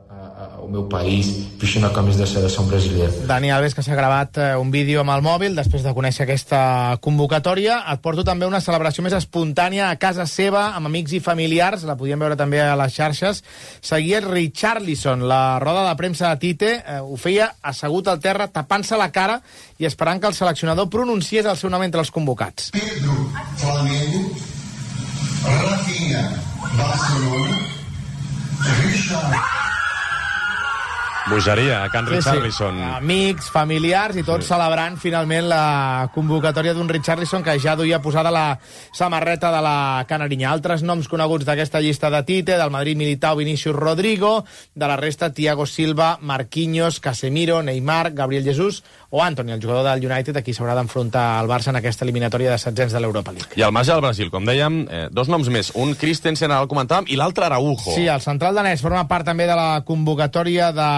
O meu país, vestint la camisa de selecció brasileira. Dani Alves, que s'ha gravat un vídeo amb el mòbil després de conèixer aquesta convocatòria. Et porto també una celebració més espontània a casa seva, amb amics i familiars, la podíem veure també a les xarxes. Seguia Richarlison, la roda de premsa de Tite, ho feia assegut al terra, tapant-se la cara i esperant que el seleccionador pronunciés el seu nom entre els convocats. Pedro, Flamengo, Rafinha, Barcelona, Richard... Bogeria, a Can Richarlison. Sí. Amics, familiars i tots celebrant finalment la convocatòria d'un Richarlison que ja duia posada la samarreta de la Canarinya. Altres noms coneguts d'aquesta llista de Tite, del Madrid Militao, Vinicius Rodrigo, de la resta Thiago Silva, Marquinhos, Casemiro, Neymar, Gabriel Jesús o Antony, el jugador del United, a qui s'haurà d'enfrontar al Barça en aquesta eliminatòria de setzents de l'Europa League. I al marge del Brasil, com dèiem, dos noms més. Un Christensen, ara el comentàvem, i l'altre Araujo. Sí, el central danès forma part també de la convocatòria de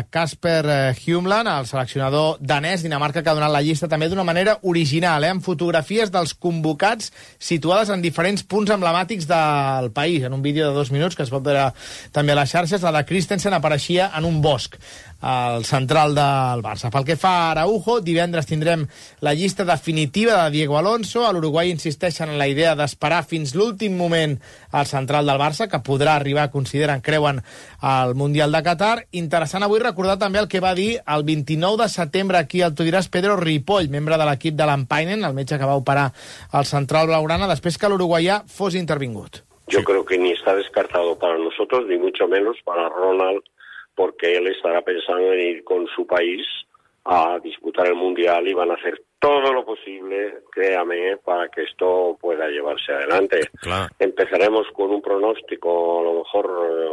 Kasper Hjulmand, el seleccionador danès. Dinamarca que ha donat la llista també d'una manera original, amb fotografies dels convocats situades en diferents punts emblemàtics del país. En un vídeo de 2 minuts que es pot veure també a les xarxes, la de Christensen apareixia en un bosc, al central del Barça. Pel que fa a Araujo, divendres tindrem la llista definitiva de Diego Alonso. A l'Uruguai insisteixen en la idea d'esperar fins l'últim moment al central del Barça, que podrà arribar, consideren, creuen, al Mundial de Qatar. Interessant avui recordar també el que va dir el 29 de setembre aquí al Tu diràs Pedro Ripoll, membre de l'equip de l'Ampainen, el metge que va operar el central blaugrana després que l'uruguaià fos intervingut. Yo creo que ni está descartado para nosotros, ni mucho menos para Ronald, porque él estará pensando en ir con su país a disputar el Mundial y van a hacer todo lo posible, créame, para que esto pueda llevarse adelante. Claro. Empezaremos con un pronóstico, a lo mejor,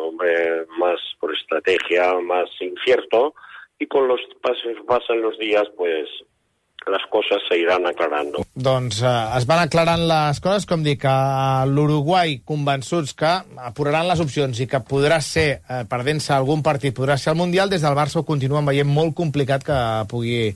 hombre, más por estrategia, más incierto, y con los pasan los días, pues las cosas se irán aclarando. Doncs es van aclarant les coses, com dic, a l'Uruguai convençuts que apuraran les opcions i que podrà ser, perdent-se algun partit, podrà ser el Mundial. Des del Barça ho continuen veient molt complicat que pugui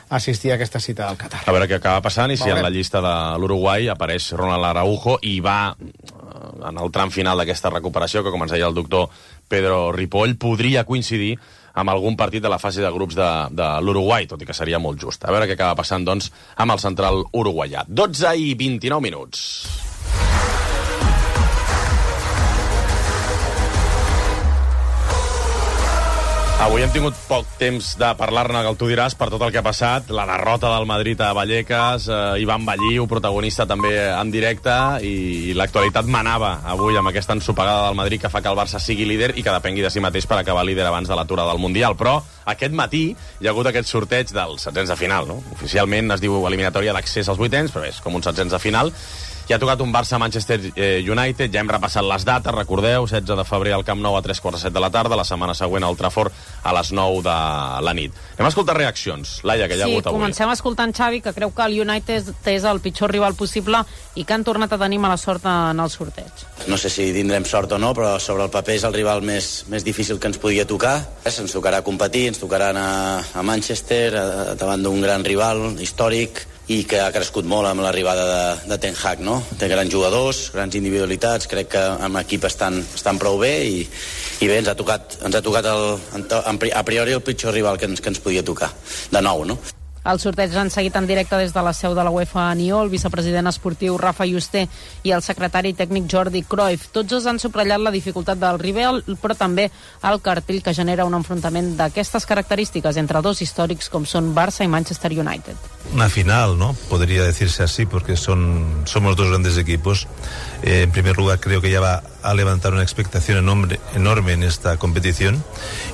assistir a aquesta cita del Qatar. A veure què acaba passant i si en la llista de l'Uruguai apareix Ronald Araujo i va en el tram final d'aquesta recuperació, que com ens deia el doctor Pedro Ripoll, podria coincidir amb algun partit de la fase de grups de l'Uruguai, tot i que seria molt just. A veure què acaba passant, doncs, amb el central uruguaià. 12 i 29 minuts. Avui hem tingut poc temps de parlar-ne, que tu diràs, per tot el que ha passat. La derrota del Madrid a Vallecas, Ivan Balliu, protagonista també en directe, i l'actualitat manava avui amb aquesta ensopegada del Madrid que fa que el Barça sigui líder i que depengui de si mateix per acabar líder abans de l'aturada del Mundial. Però aquest matí hi ha hagut aquest sorteig dels setzents de final, no? Oficialment es diu eliminatòria d'accés als vuitens, però és com un setzents de final. Ja ha tocat un Barça-Manchester United, ja hem repassat les dates, recordeu, 16 de febrer al Camp Nou a 3:45 de la tarda, la setmana següent al Trafford a les 9 de la nit. Anem a escoltar reaccions. Laia, que hi ha hagut avui. Sí, comencem escoltant Xavi, que creu que el United és el pitjor rival possible i que han tornat a tenir mala sort en el sorteig. No sé si tindrem sort o no, però sobre el paper és el rival més difícil que ens podia tocar. Ens tocarà competir, ens tocarà anar a Manchester, davant d'un gran rival històric, i que ha crescut molt amb l'arribada de Ten Hag, no? Té grans jugadors, grans individualitats, crec que amb l'equip estan prou bé i bé, ens ha tocat a priori el pitjor rival que ens podia tocar, de nou, no? El sorteig l'han seguit en directe des de la seu de la UEFA a Nió, el vicepresident esportiu Rafa Yuste i el secretari tècnic Jordi Cruyff. Tots els han subratllat la dificultat del rival, però també el cartell que genera un enfrontament d'aquestes característiques entre dos històrics com són Barça i Manchester United. Una final, ¿no? Podría decirse así, porque somos dos grandes equipos. En primer lugar, creo que ya va a levantar una expectación enorme en esta competición,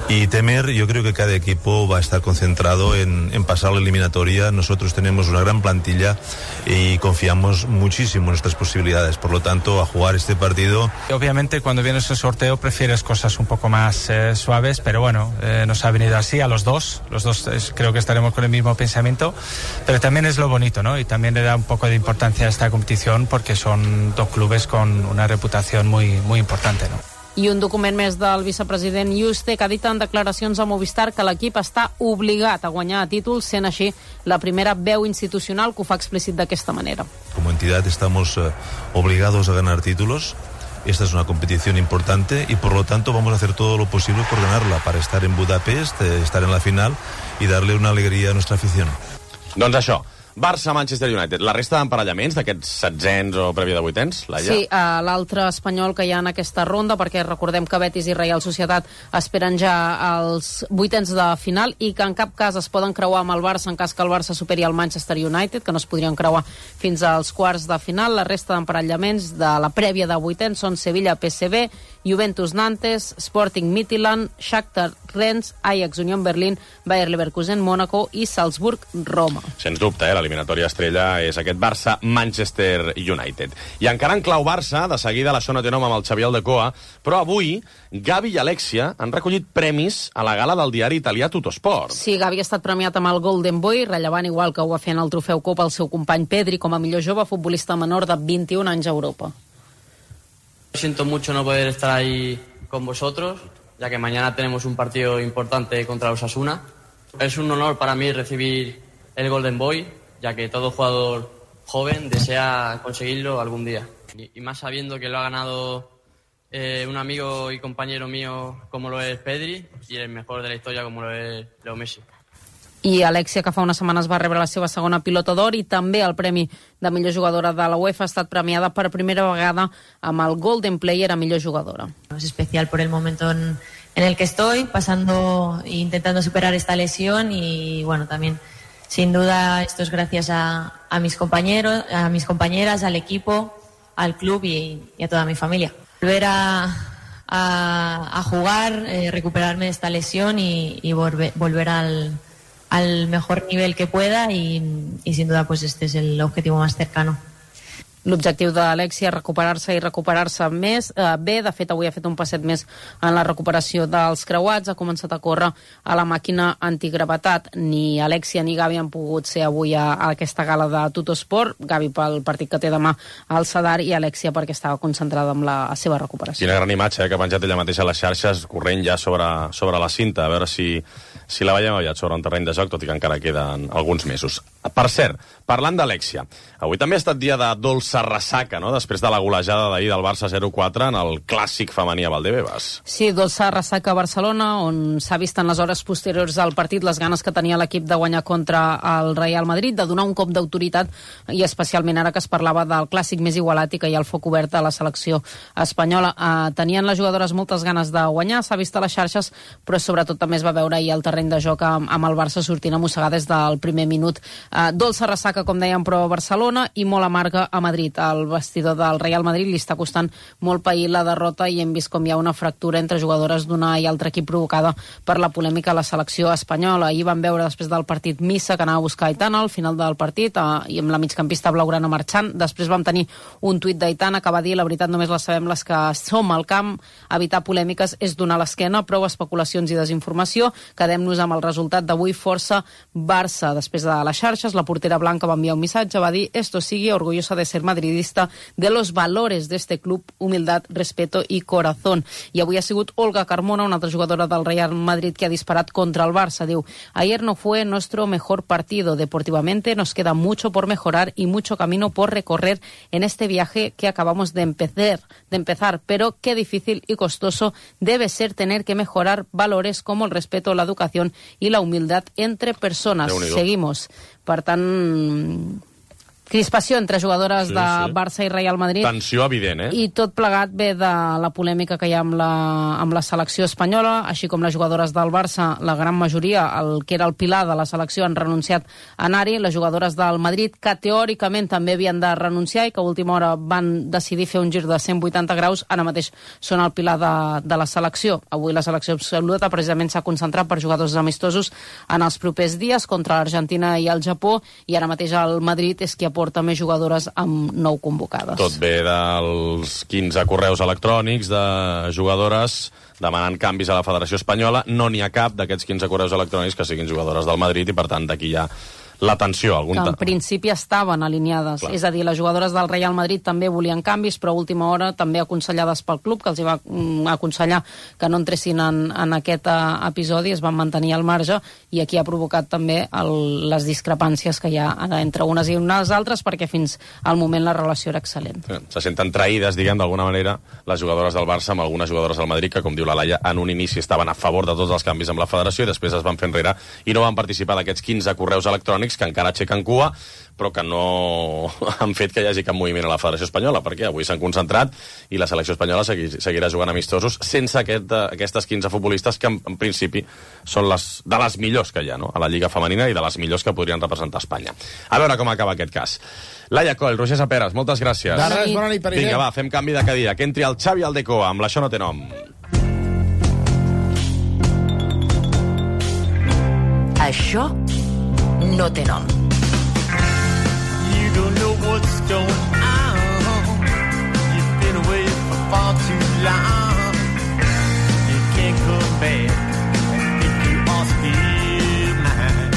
y temer, yo creo que cada equipo va a estar concentrado en pasar la eliminatoria. Nosotros tenemos una gran plantilla y confiamos muchísimo en nuestras posibilidades, por lo tanto, a jugar este partido. Obviamente, cuando vienes el sorteo prefieres cosas un poco más suaves, pero bueno, nos ha venido así a los dos creo que estaremos con el mismo pensamiento, pero también es lo bonito, ¿no? Y también le da un poco de importancia a esta competición porque son dos clubes con una reputación muy importante, ¿no? I un document més del vicepresident Yuste, que ha dit en declaracions a Movistar que l'equip està obligat a guanyar a títols, sent així la primera veu institucional que ho fa explícit d'aquesta manera. Como entidad estamos obligados a ganar títulos. Esta es una competición importante y por lo tanto vamos a hacer todo lo posible por ganarla, para estar en Budapest, estar en la final y darle una alegría a nuestra afición. Doncs això, Barça-Manchester United. La resta d'emparellaments d'aquests setzents o prèvia de vuitens, Laia? Sí, l'altre espanyol que hi ha en aquesta ronda, perquè recordem que Betis i Reial Societat esperen ja els vuitens de final i que en cap cas es poden creuar amb el Barça en cas que el Barça superi el Manchester United, que no es podrien creuar fins als quarts de final. La resta d'emparellaments de la prèvia de vuitens són Sevilla-PSV, Juventus-Nantes, Sporting Midtjylland, Shakhtar Rennes, Ajax Unión Berlín, Bayer Leverkusen, Mónaco i Salzburg-Roma. Sens dubte, l'eliminatòria estrella és aquest Barça-Manchester United. I encara en clau Barça, de seguida la Xona té nom amb el Xavier Aldecoa, però avui Gavi i Alexia han recollit premis a la gala del diari italià Tuttosport. Sí, Gavi ha estat premiat amb el Golden Boy, rellevant igual que ho va fer en el Trofeu Copa el seu company Pedri com a millor jove futbolista menor de 21 anys a Europa. Siento mucho no poder estar ahí con vosotros, ya que mañana tenemos un partido importante contra Osasuna. Es un honor para mí recibir el Golden Boy, ya que todo jugador joven desea conseguirlo algún día. Y más sabiendo que lo ha ganado un amigo y compañero mío como lo es Pedri y el mejor de la historia como lo es Leo Messi. I Alexia, que fa unes setmanes va rebre la seva segona pilota d'or i també el premi de millor jugadora de la UEFA, ha estat premiada per primera vegada amb el Golden Player a millor jugadora. Es especial por el momento en el que estoy, pasando e intentando superar esta lesión y bueno, también sin duda esto es gracias a mis compañeros, a mis compañeras, al equipo, al club y a toda mi familia. Volver a jugar, recuperarme de esta lesión y volver al mejor nivel que pueda y sin duda pues este es el objetivo más cercano. L'objectiu d'Alexia és recuperar-se més bé. De fet, avui ha fet un passet més en la recuperació dels creuats, ha començat a córrer a la màquina antigravetat. Ni Alexia ni Gavi han pogut ser avui a aquesta gala de Tuttosport. Gavi pel partit que té demà al Sadar i Alexia perquè estava concentrada en la seva recuperació. Quina gran imatge que ha penjat ella mateixa a les xarxes, corrent ja sobre la cinta, a veure si la veiem aviat sobre un terreny de joc, tot i que encara queden alguns mesos. Per cert, parlant d'Alexia, avui també ha estat dia de dolça ressaca, no?, després de la golejada d'ahir del Barça 0-4 en el clàssic femení a Valdebebas. Sí, dolça ressaca a Barcelona, on s'ha vist en les hores posteriors al partit les ganes que tenia l'equip de guanyar contra el Real Madrid, de donar un cop d'autoritat, i especialment ara que es parlava del clàssic més igualat i que hi ha el foc obert a la selecció espanyola. Tenien les jugadores moltes ganes de guanyar, s'ha vist a les xarxes, però sobretot també es va veure ahir al terreny de joc amb el Barça sortint a mossegar des del primer minut. Dolça ressaca, com dèiem, però a Barcelona, i molt amarga a Madrid. Al vestidor del Real Madrid li està costant molt pair la derrota i hem vist com hi ha una fractura entre jugadores d'una i altra equip provocada per la polèmica a la selecció espanyola. Ahir vam veure després del partit Missa, que anava a buscar Aitana al final del partit, i amb la migcampista blaugrana marxant. Després vam tenir un tuit d'Aitana que va dir: la veritat només la sabem les que som al camp, evitar polèmiques és donar l'esquena, prou especulacions i desinformació, quedem-nos amb el resultat d'avui, força Barça. Després de les xarxes, la portera blanca va enviar un missatge, va dir: esto sigue, orgullosa de ser madridista, de los valores de este club, humildad, respeto y corazón. I avui ha sigut Olga Carmona, una altra jugadora del Real Madrid, que ha disparat contra el Barça. Diu: ayer no fue nuestro mejor partido, deportivamente nos queda mucho por mejorar y mucho camino por recorrer en este viaje que acabamos de empezar, pero qué difícil y costoso debe ser tener que mejorar valores como el respeto, la educación y la humildad entre personas. Seguimos. Per tant, crispació entre jugadores de Barça i Real Madrid. Tensió evident, I tot plegat ve de la polèmica que hi ha amb la selecció espanyola, així com les jugadores del Barça, la gran majoria, el que era el pilar de la selecció, han renunciat a anar-hi. Les jugadores del Madrid, que teòricament també havien de renunciar i que a última hora van decidir fer un gir de 180 graus, ara mateix són el pilar de la selecció. Avui la selecció absoluta precisament s'ha concentrat per jugadors amistosos en els propers dies contra l'Argentina i el Japó, i ara mateix el Madrid és qui porta més jugadores amb 9 convocades. Tot ve dels 15 correus electrònics de jugadores demanant canvis a la Federació Espanyola. No n'hi ha cap d'aquests 15 correus electrònics que siguin jugadores del Madrid i, per tant, d'aquí hi ha la tensió. Que en principi estaven alineades. Clar. És a dir, les jugadores del Real Madrid també volien canvis, però a última hora també aconsellades pel club, que els va aconsellar que no entressin en aquest episodi, es van mantenir al marge, i aquí ha provocat també les discrepàncies que hi ha entre unes i unes altres, perquè fins al moment la relació era excel·lent. Se senten traïdes, diguem, d'alguna manera, les jugadores del Barça amb algunes jugadores del Madrid, que, com diu la Laia, en un inici estaven a favor de tots els canvis amb la federació i després es van fer enrere i no van participar d'aquests 15 correus electrònics que encara aixequen cua, però que no han fet que hi hagi cap moviment a la Federació Espanyola, perquè avui s'han concentrat i la selecció espanyola seguirà jugant amistosos sense aquestes 15 futbolistes que en principi són de les millors que hi ha, no?, a la Lliga Femenina i de les millors que podrien representar Espanya. A veure com acaba aquest cas. Laia Coll, Roger Saperas, moltes gràcies. De res, bona nit, Pere. Vinga, va, fem canvi de cadira. Que entri el Xavi Aldecoa amb l'Això no té nom. Això no té nom. You don't know what's going on. You've been away for far too long. You can't come back if you are still mine.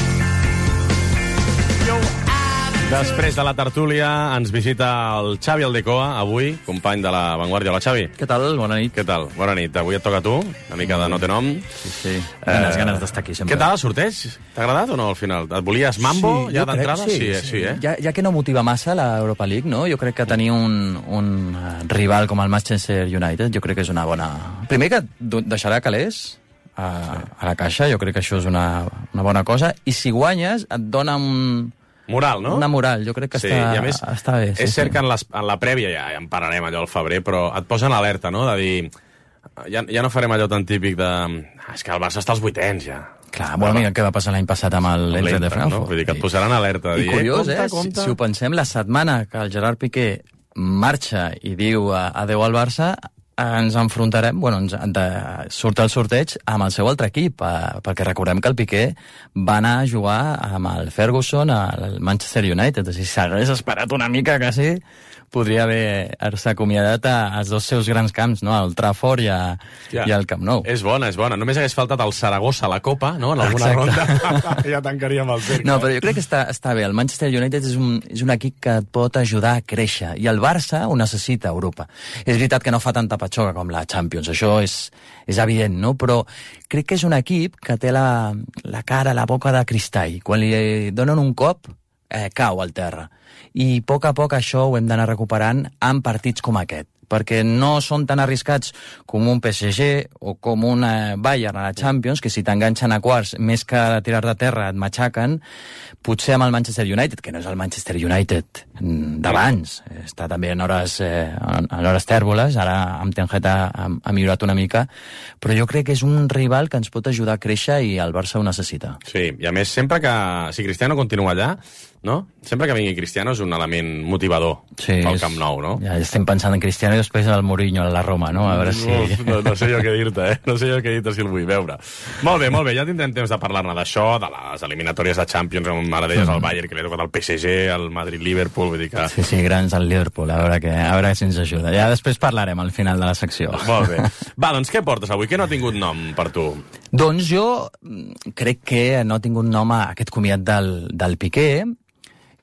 Després de la tertúlia ens visita el Xavi Aldecoa, avui, company de la Vanguardia. Hola, Xavi. Què tal? Bona nit. Què tal? Bona nit. Avui et toca a tu, una mica de no té nom. Sí. Ganes d'estar aquí, sempre. Què tal el sorteig? T'ha agradat o no, al final? Et volies mambo, ja d'entrada? Sí. Ja que no motiva massa l'Europa League, no? Jo crec que tenir un rival com el Manchester United, jo crec que és una bona... Primer que deixarà calés a la caixa, jo crec que això és una bona cosa, i si guanyes et dona moral, no? Una moral, jo crec que està bé. És cert que en la prèvia, ja en parlarem allò al febrer, però et posen alerta, no?, de dir... Ja no farem allò tan típic de... És que el Barça està als 8ens, ja. Clar, bueno, mira què va passar l'any passat amb l'Eintracht de Frankfurt. No? Vull dir que et posaran alerta. I curiós, si ho pensem, la setmana que el Gerard Piqué marxa i diu adeu al Barça, ens enfrontarem, surt el sorteig amb el seu altre equip, perquè recordem que el Piqué va anar a jugar amb el Ferguson al Manchester United, o sigui, s'hagués esperat una mica quasi, podria haver-se acomiadat als dos seus grans camps, no? Al Trafford i al Camp Nou. És bona. Només hagués faltat el Saragossa a la Copa, no? En alguna ronda. Ja tancaríem el cercle. No, però jo crec que està bé. El Manchester United és un equip que et pot ajudar a créixer, i el Barça ho necessita a Europa. És veritat que no fa tanta patxoca com la Champions, això és evident, no? Però crec que és un equip que té la cara, la boca de cristall. Quan li donen un cop, cau al terra. I a poc això ho hem d'anar recuperant en partits com aquest, perquè no són tan arriscats com un PSG o com un Bayern a la Champions, que si t'enganxen a quarts, més que tirar de terra, et matxaquen. Potser amb el Manchester United, que no és el Manchester United d'abans, està també en hores tèrboles, ara amb Ten Hag ha millorat una mica, però jo crec que és un rival que ens pot ajudar a créixer i el Barça ho necessita. Sí, i a més, sempre que... Si Cristiano continua allà, no? Sempre que vingui Cristiano és un element motivador pel Camp Nou, no? Ja estem pensant en Cristiano i després el Mourinho a la Roma, no? A veure si... No sé jo què dir-te, No sé jo què dir-te si el vull veure. Molt bé, ja tindrem temps de parlar-ne d'això, de les eliminatòries de Champions, amb ara deies el Bayern, que li ha tocat el PSG, el Madrid-Liverpool, vull dir que... Sí, grans al Liverpool, a veure si ens ajuda. Ja després parlarem al final de la secció. Molt bé. Va, doncs què portes avui? Què no ha tingut nom per tu? Doncs jo crec que no ha tingut nom a aquest comiat del Piqué.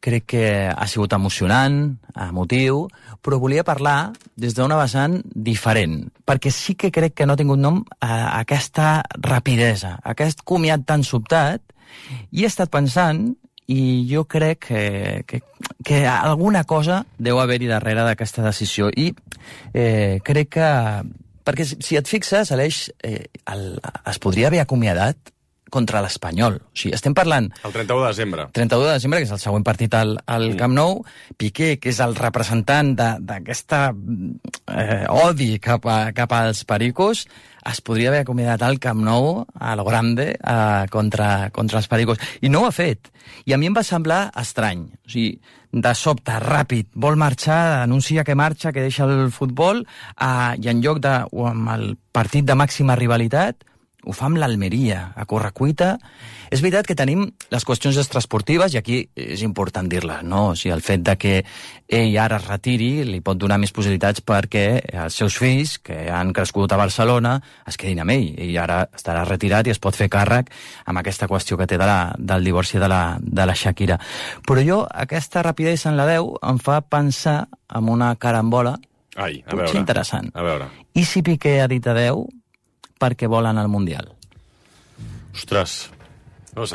Crec que ha sigut emocionant, emotiu, però volia parlar des d'una vessant diferent, perquè sí que crec que no ha tingut nom a aquesta rapidesa, aquest comiat tan sobtat, i he estat pensant, i jo crec que alguna cosa deu haver-hi darrere d'aquesta decisió, i crec que... Perquè si et fixes, Aleix, es podria haver acomiadat contra l'Espanyol. O sigui, estem parlant... El 31 de desembre. 31 de desembre, que és el següent partit al Camp Nou. Piqué, que és el representant d'aquesta odi cap als pericos, es podria haver acomiadat al Camp Nou, a lo grande, contra els pericos. I no ho ha fet. I a mi em va semblar estrany. O sigui, de sobte, ràpid, vol marxar, anuncia que marxa, que deixa el futbol, i en lloc amb el partit de màxima rivalitat, ho fa amb l'Almeria, a correcuita. És veritat que tenim les qüestions extraesportives, i aquí és important dir-la, no? O sigui, el fet de que ell ara es retiri li pot donar més possibilitats perquè els seus fills, que han crescut a Barcelona, es quedin amb ell. Ell ara estarà retirat i es pot fer càrrec amb aquesta qüestió que té del divorci de la Shakira. Però jo, aquesta rapidesa en la 10 em fa pensar en una carambola potser interessant. A veure. I si Piqué ha dit adeu perquè volen al Mundial? Ostres,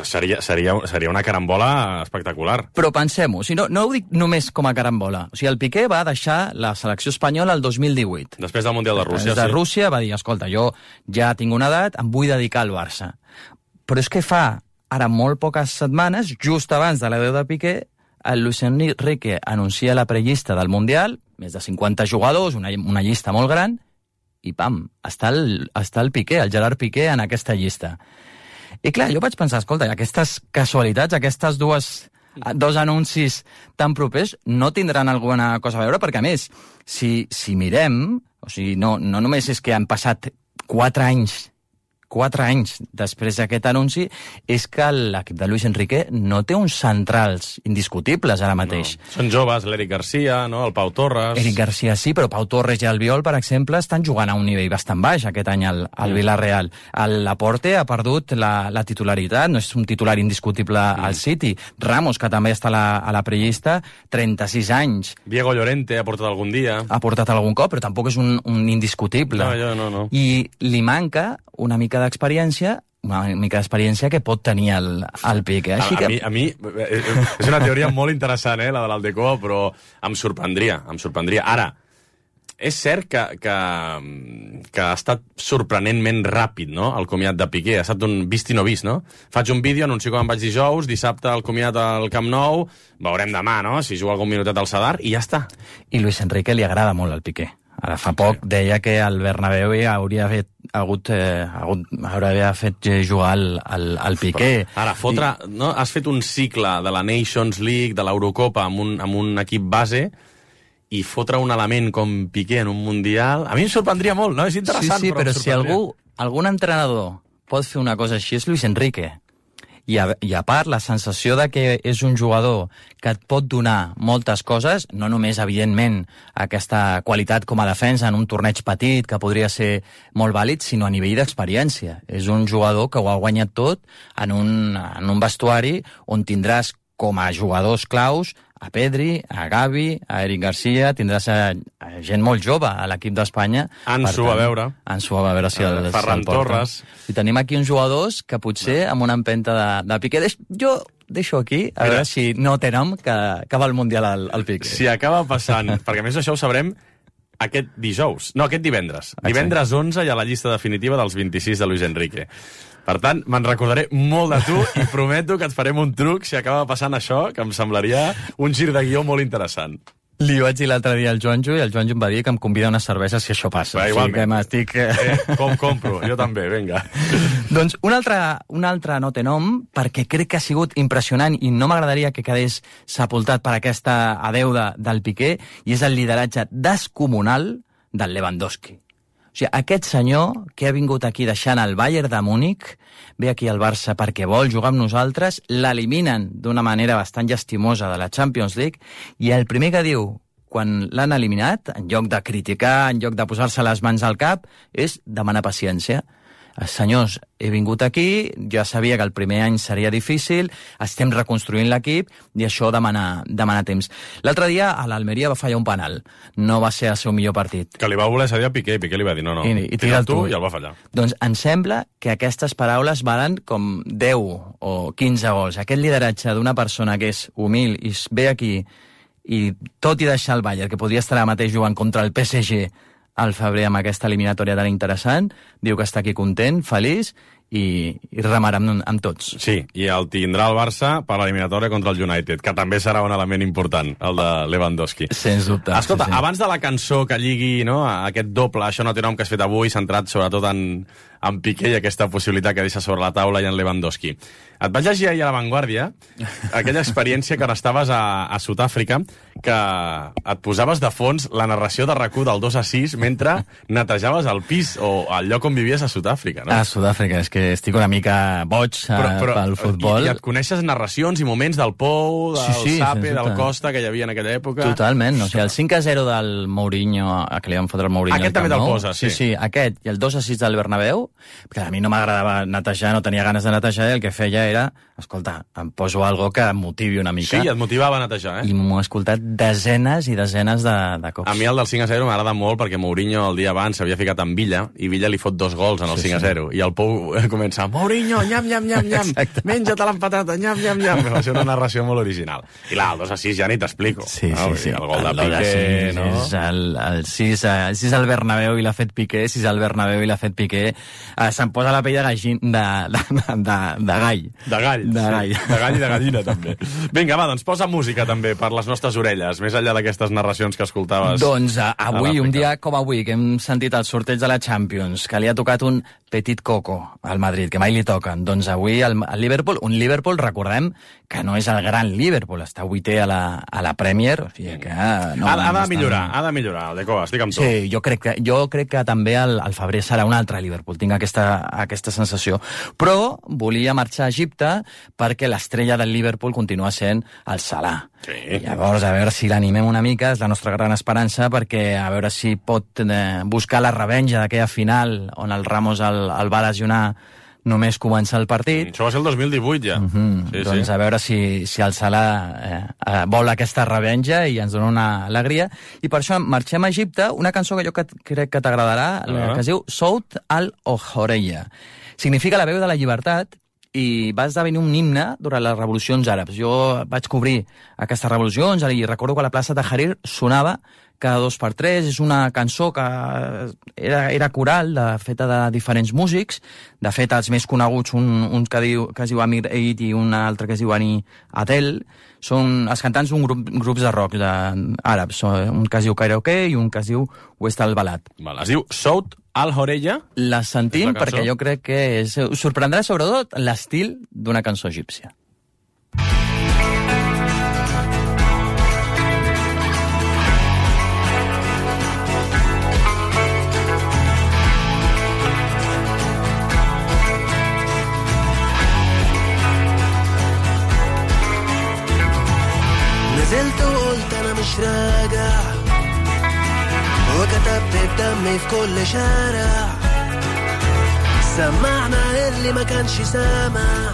seria una carambola espectacular. Però pensem-ho, o sigui, no ho dic només com a carambola. O sigui, el Piqué va deixar la selecció espanyola el 2018. Després del Mundial de Rússia, de Rússia va dir, escolta, jo ja tinc una edat, em vull dedicar al Barça. Però és que fa ara molt poques setmanes, just abans de l'adeu de Piqué, el Luis Enrique anuncia la prellista del Mundial, més de 50 jugadors, una llista molt gran, i pam, està el Piqué, el Gerard Piqué, en aquesta llista. I clar, jo vaig pensar, escolta, aquestes casualitats, aquestes dos anuncis tan propers no tindran alguna cosa a veure, perquè a més, si mirem, o sigui, no només és que han passat 4 anys després d'aquest anunci, és que l'equip de Luis Enrique no té uns centrals indiscutibles ara mateix. No. Són joves, l'Eric Garcia, no? El Pau Torres... Eric Garcia sí, però Pau Torres i Albiol, per exemple, estan jugant a un nivell bastant baix aquest any al Villarreal. El Laporte ha perdut la titularitat, no és un titular indiscutible al City. Ramos, que també està a la prellista, 36 anys. Diego Llorente ha portat algun dia. Ha portat algun cop, però tampoc és un indiscutible. No. I li manca una mica d'experiència que pot tenir el Piqué. A mi és una teoria molt interessant, la de l'Aldecoa, però em sorprendria. Ara, és cert que ha estat sorprenentment ràpid, no?, el comiat de Piqué. Ha estat un vist i no vist, no? Faig un vídeo, anuncio com em vaig dijous, dissabte el comiat al Camp Nou, veurem demà, no?, si juga algun minutet al Sadar, i ja està. I Luis Enrique li agrada molt el Piqué. Ara fa poc deia que el Bernabéu hauria fet jugar al Piqué. Ara, has fet un cicle de la Nations League, de l'Eurocopa, amb un equip base, i fotre un element com Piqué en un Mundial, a mi em sorprendria molt, no? És interessant, sí, però si algun entrenador pot fer una cosa així és Luis Enrique. I a part, la sensació de que és un jugador que et pot donar moltes coses, no només, evidentment, aquesta qualitat com a defensa en un torneig petit, que podria ser molt vàlid, sinó a nivell d'experiència. És un jugador que ho ha guanyat tot en un vestuari on tindràs com a jugadors claus a Pedri, a Gavi, a Eric Garcia, tindràs a gent molt jove a l'equip d'Espanya. Ansu, a veure. Ansu, a veure si el Ferran Torres. I tenim aquí uns jugadors que potser amb una empenta de Piqué... Jo deixo aquí, a veure si no té nom que va al Mundial al Piqué. Si acaba passant, perquè a més això ho sabrem aquest divendres. Exacte. Divendres 11 hi ha la llista definitiva dels 26 de Luis Enrique. Per tant, me'n recordaré molt de tu i prometo que et farem un truc si acaba passant això, que em semblaria un gir de guió molt interessant. Li vaig dir l'altre dia al Joanjo i el Joanjo em va dir que em convida unes cerveses si això passa. Igualment. O sigui que Compro, jo també, vinga. Doncs un altre no té nom, perquè crec que ha sigut impressionant i no m'agradaria que quedés sepultat per aquesta adeuda del Piqué, i és el lideratge descomunal del Lewandowski. O sigui, aquest senyor que ha vingut aquí deixant el Bayern de Múnich, ve aquí al Barça perquè vol jugar amb nosaltres, l'eliminen d'una manera bastant llastimosa de la Champions League, i el primer que diu quan l'han eliminat, en lloc de criticar, en lloc de posar-se les mans al cap, és demanar paciència. Senyors, he vingut aquí, ja sabia que el primer any seria difícil, estem reconstruint l'equip i això demana temps. L'altre dia a l'Almeria va fallar un penal, no va ser el seu millor partit. Que li va voler cedir a Piqué, i Piqué li va dir no, i tira tu i el va fallar. Doncs em sembla que aquestes paraules valen com 10 o 15 gols. Aquest lideratge d'una persona que és humil i ve aquí i tot i deixar el Bayern, que podria estar ara mateix jugant contra el PSG al febrer amb aquesta eliminatòria tan interessant, diu que està aquí content, feliç i remarà amb tots. Sí, i el tindrà el Barça per l'eliminatòria contra el United, que també serà un element important, el de Lewandowski. Sens dubte. Escolta, abans de la cançó que lligui aquest doble, això no té nom que has fet avui, centrat sobretot en Piqué i aquesta possibilitat que deixa sobre la taula i en Lewandowski. Et vaig llegir ahir a La Vanguardia aquella experiència que estaves a Sud-àfrica, que et posaves de fons la narració de RAC1 del 2-6 mentre netejaves el pis o el lloc on vivies a Sud-àfrica, no? A Sud-àfrica, és que estic una mica boig pel futbol. I et coneixes narracions i moments del Pou, del Sape, del Costa, que hi havia en aquella època. Totalment, o sigui, el 5-0 del Mourinho, que li van fotre el Mourinho... Aquest també te'l posa, sí. Sí, aquest, i el 2-6 del Bernabéu, perquè a mi no m'agradava netejar, no tenia ganes de netejar, i el que feia era, escolta, em poso algo que em motivi una mica. Sí, et motivava a netejar, I m'ho he escoltat desenes i desenes de cops. A mi el del 5-0 m'agrada molt perquè Mourinho el dia abans s'havia ficat amb Villa i Villa li fot 2 gols en el 5-0 i el Pou comença, Mourinho, nyam, nyam, nyam, nyam, menja-te l'empatata, nyam, nyam, nyam. Va ser una narració molt original. I el 2-6 ja ni t'explico. Sí. El gol de Piqué, no? El 6 al Bernabéu i l'ha fet Piqué, 6 al Bernabéu i l'ha fet Piqué. Se'm posa la pell de gall. De gall i de gallina, també. Vinga, va, doncs posa música, també, per les nostres orelles, més enllà d'aquestes narracions que escoltaves. Doncs avui, un dia com avui, que hem sentit el sorteig de la Champions, que li ha tocat un petit coco al Madrid, que mai li toquen. Doncs avui el Liverpool, un Liverpool, recordem, que no és el gran Liverpool, està 8è a la Premier, o sigui que... Ha de millorar, el Deco, estic amb tu. Sí, jo crec que també el febrer serà un altre Liverpool, tinc aquesta sensació. Però volia marxar a Egipte perquè l'estrella del Liverpool continua sent el Salah. Sí. Llavors, a veure si l'animem una mica, és la nostra gran esperança, perquè a veure si pot buscar la revenja d'aquella final on el Ramos el va lesionar només començar el partit. Això va ser el 2018, ja. Doncs a veure si el Salah vol aquesta revenja i ens dona una alegria. I per això marxem a Egipte, una cançó que jo crec que t'agradarà, que es diu Sout al-Horeya. Significa la veu de la llibertat i va esdevenir un himne durant les revolucions àrabs. Jo vaig cobrir aquestes revolucions i recordo que a la plaça de Tahrir sonava cada 2x3, és una cançó que era coral, feta de diferents músics. De fet, els més coneguts, un que es diu Amir Eid i un altre que es diu Ani Adel, són els cantants d'un grups de rock àrabs, un que es diu Karaoke i un que es diu West al-Balad. Es diu Sout al-Horeya? La sentim perquè jo crec que us sorprendrà sobretot l'estil d'una cançó egípcia. نزلت وقلت انا مش راجع وكتبت بدمي في كل شارع سمعنا اللي ما كانش سامع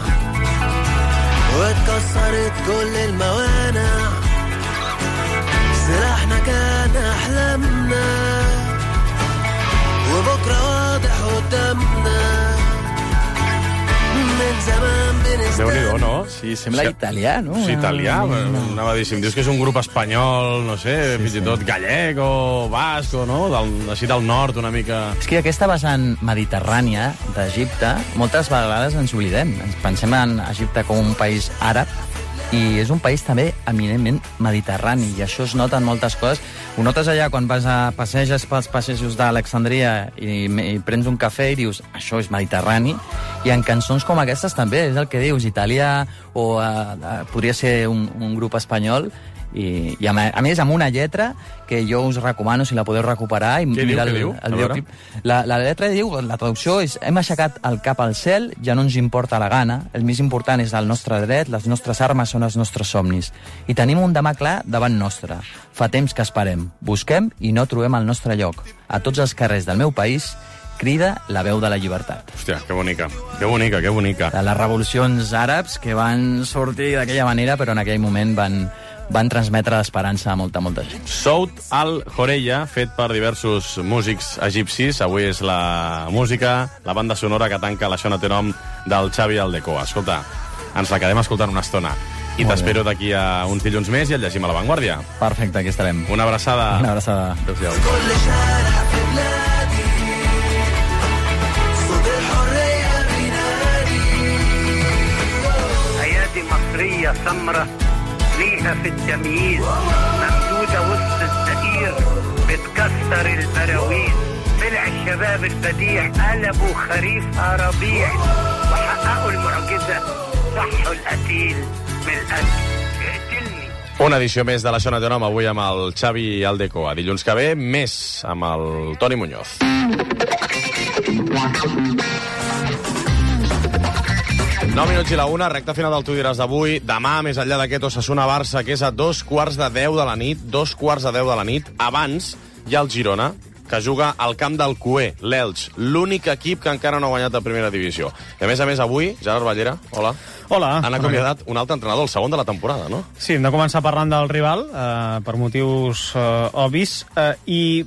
واتكسرت كل الموانع سلاحنا كان احلامنا وبكره واضح قدامنا من زمان بنستنى. Déu-n'hi-do, no? Sí, sembla italià, no? Sí, italià. Anava a dir, si em dius que és un grup espanyol, no sé, fins i tot gallec o basc, o no? Així del nord, una mica... És que aquesta vessant mediterrània d'Egipte, moltes vegades ens oblidem. Ens pensem en Egipte com un país àrab, i és un país també eminentment mediterrani, i això es nota en moltes coses. Ho notes allà quan passeges pels passejos d'Alexandria i prens un cafè i dius, això és mediterrani, i en cançons com aquestes també, és el que dius, Italià, o podria ser un grup espanyol, i a més amb una lletra que jo us recomano si la podeu recuperar i mirar el videoclip. La lletra diu, la traducció és: hem aixecat el cap al cel, ja no ens importa la gana, el més important és el nostre dret, les nostres armes són els nostres somnis i tenim un demà clar davant nostre. Fa temps que esperem, busquem i no trobem el nostre lloc. A tots els carrers del meu país crida la veu de la llibertat. Hòstia, que bonica, que bonica, que bonica. De les revolucions àrabs que van sortir d'aquella manera, però en aquell moment van transmetre l'esperança a molta gent. Sout al-Horeya, fet per diversos músics egipcis. Avui és la música, la banda sonora que tanca l'Això no té nom del Xavi Aldecoa. Escolta, ens la quedem escoltant una estona. I t'espero d'aquí a uns dilluns més i el llegim a La Vanguardia. Perfecte, aquí estarem. Una abraçada. Una abraçada. Adéu-siau. مصرية سمرة ليها في التمييز ممدودة وسط الزئير بتكسر البراويز طلع الشباب البديع قلبوا خريفها ربيع وحققوا المعجزة صحوا القتيل من القتل اقتلني. Una edició més de l'Això no té nom, avui amb el Xavi Aldecoa. Dilluns que ve, més amb el Toni Muñoz. 9 minuts i la 1, recta final del Tu diràs d'avui. Demà, més enllà d'aquest Osasuna-Barça, que és a 2:15 de la nit, 2:15 de la nit. Abans hi ha el Girona, que juga al camp del Cué, l'Elx, l'únic equip que encara no ha guanyat a primera divisió. I a més, avui, Gerard Ballera, hola. Hola. Han acomiadat un altre entrenador, el segon de la temporada, no? Sí, hem de començar parlant del rival, per motius obvis, i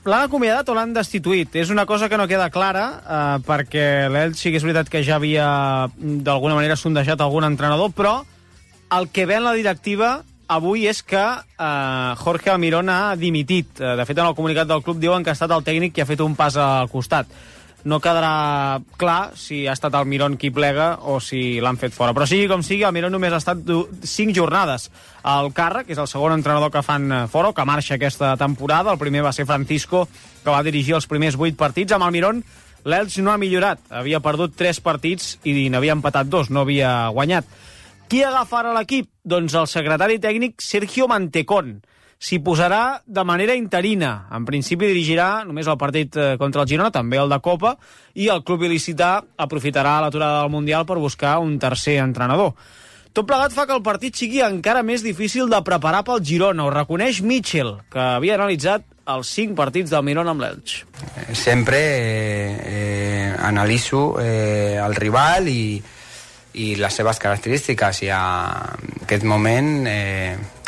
l'han acomiadat o l'han destituït? És una cosa que no queda clara, perquè l'Elx sí que és veritat que ja havia d'alguna manera sondejat algun entrenador, però el que ve en la directiva avui és que Jorge Almirón ha dimitit. De fet, en el comunicat del club diuen que ha estat el tècnic qui ha fet un pas al costat. No quedarà clar si ha estat Almirón qui plega o si l'han fet fora. Però sigui com sigui, Almirón només ha estat 5 jornades al càrrec, és el segon entrenador que fan fora o que marxa aquesta temporada. El primer va ser Francisco, que va dirigir els primers 8 partits. Amb Almirón, l'Elx no ha millorat. Havia perdut 3 partits i n'havia empatat 2, no havia guanyat. Qui agafarà l'equip? Doncs el secretari tècnic Sergio Mantecón. S'hi posarà de manera interina. En principi dirigirà només el partit contra el Girona, també el de Copa, i el club il·licità aprofitarà l'aturada del Mundial per buscar un tercer entrenador. Tot plegat fa que el partit sigui encara més difícil de preparar pel Girona. Ho reconeix Mitchell, que havia analitzat els 5 partits del Mirón amb l'Elx. Sempre analitzo el rival i les seves característiques, i en aquest moment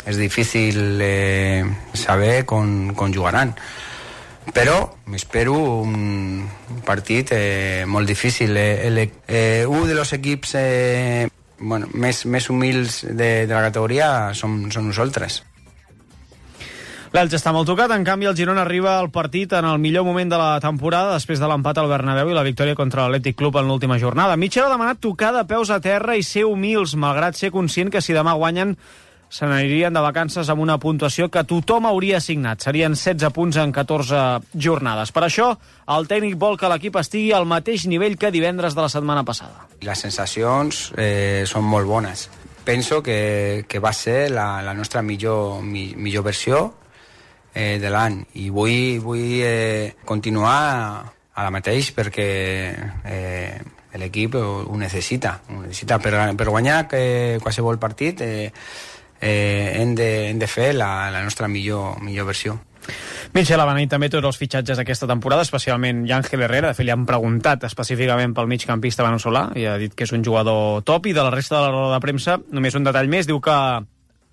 és difícil saber com jugaran, però m'espero un partit molt difícil. Un dels equips més humils de la categoria som nosaltres. L'Elx està molt tocat, en canvi el Girona arriba al partit en el millor moment de la temporada després de l'empat al Bernabéu i la victòria contra l'Atlètic Club en l'última jornada. Mitchell ha demanat tocar de peus a terra i ser humils, malgrat ser conscient que si demà guanyen se n'anirien de vacances amb una puntuació que tothom hauria assignat. Serien 16 punts en 14 jornades. Per això, el tècnic vol que l'equip estigui al mateix nivell que divendres de la setmana passada. Les sensacions són molt bones. Penso que va ser la nostra millor versió de l'any, i vull continuar a la mateix perquè l'equip ho necessita per guanyar qualsevol partit. hem de fer la nostra millor versió. Mitchell ha beneït també tots els fitxatges d'aquesta temporada, especialment Ángel Herrera. De fet, li han preguntat específicament pel migcampista veneçolà i ha dit que és un jugador top. I de la resta de la roda de premsa, només un detall més, diu que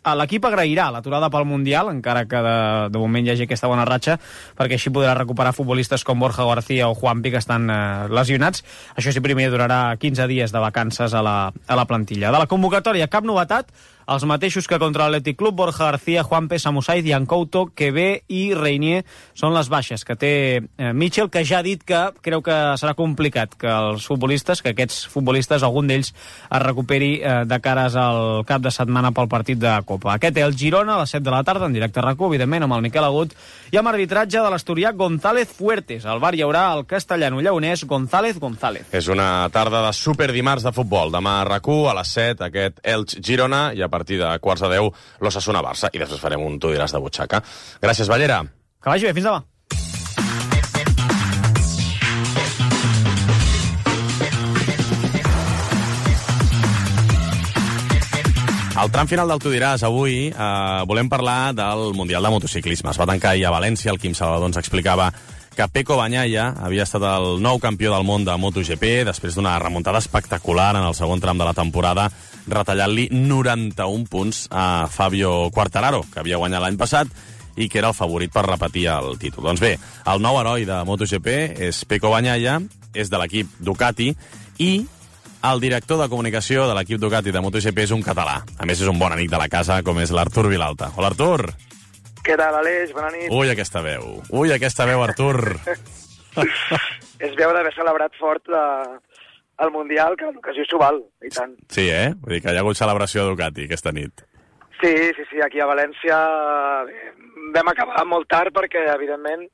l'equip agrairà l'aturada pel Mundial, encara que de moment hi hagi aquesta bona ratxa, perquè així podrà recuperar futbolistes com Borja García o Juanpi, que estan lesionats. Això sí, primer durarà 15 dies de vacances a la plantilla. De la convocatòria, cap novetat. Els mateixos que contra l'Atlètic Club, Borja García, Juanpe, Samu Saiz, Yancouto, Quevé i Reinier són les baixes que té Mitchell, que ja ha dit que creu que serà complicat que aquests futbolistes, algun d'ells es recuperi de cares al cap de setmana pel partit de Copa. Aquest és el Girona, a les 7 de la tarda, en directe a RAC1, evidentment, amb el Miquel Agut, i amb arbitratge de l'asturià González Fuertes. Al bar hi haurà el castellano-lleonès González. És una tarda de superdimarts de futbol. Demà a RAC1, a les 7, aquest Elx-Girona, i a partir de quarts de 10, l'Osasuna-Barça, i després farem un tu diràs de butxaca. Gràcies, Ballera. Que vagi bé, fins demà. Al tram final del Tu diràs, avui volem parlar del Mundial de Motociclisme. Es va tancar ahir a València, el Quim Salvador ens explicava que Pecco Bagnaia havia estat el nou campió del món de MotoGP després d'una remuntada espectacular en el segon tram de la temporada, retallant-li 91 punts a Fabio Quartararo, que havia guanyat l'any passat i que era el favorit per repetir el títol. Doncs bé, el nou heroi de MotoGP és Pecco Bagnaia, és de l'equip Ducati, i el director de comunicació de l'equip Ducati de MotoGP és un català. A més, és un bon amic de la casa, com és l'Artur Vilalta. Hola, Artur! Què tal, Aleix? Bona nit. Ui, aquesta veu, Artur. És veu d'haver celebrat fort el Mundial, que l'ocasió s'ho val, i tant. Sí, Vull dir que hi ha hagut celebració a Ducati aquesta nit. Sí, aquí a València vam acabar molt tard perquè, evidentment,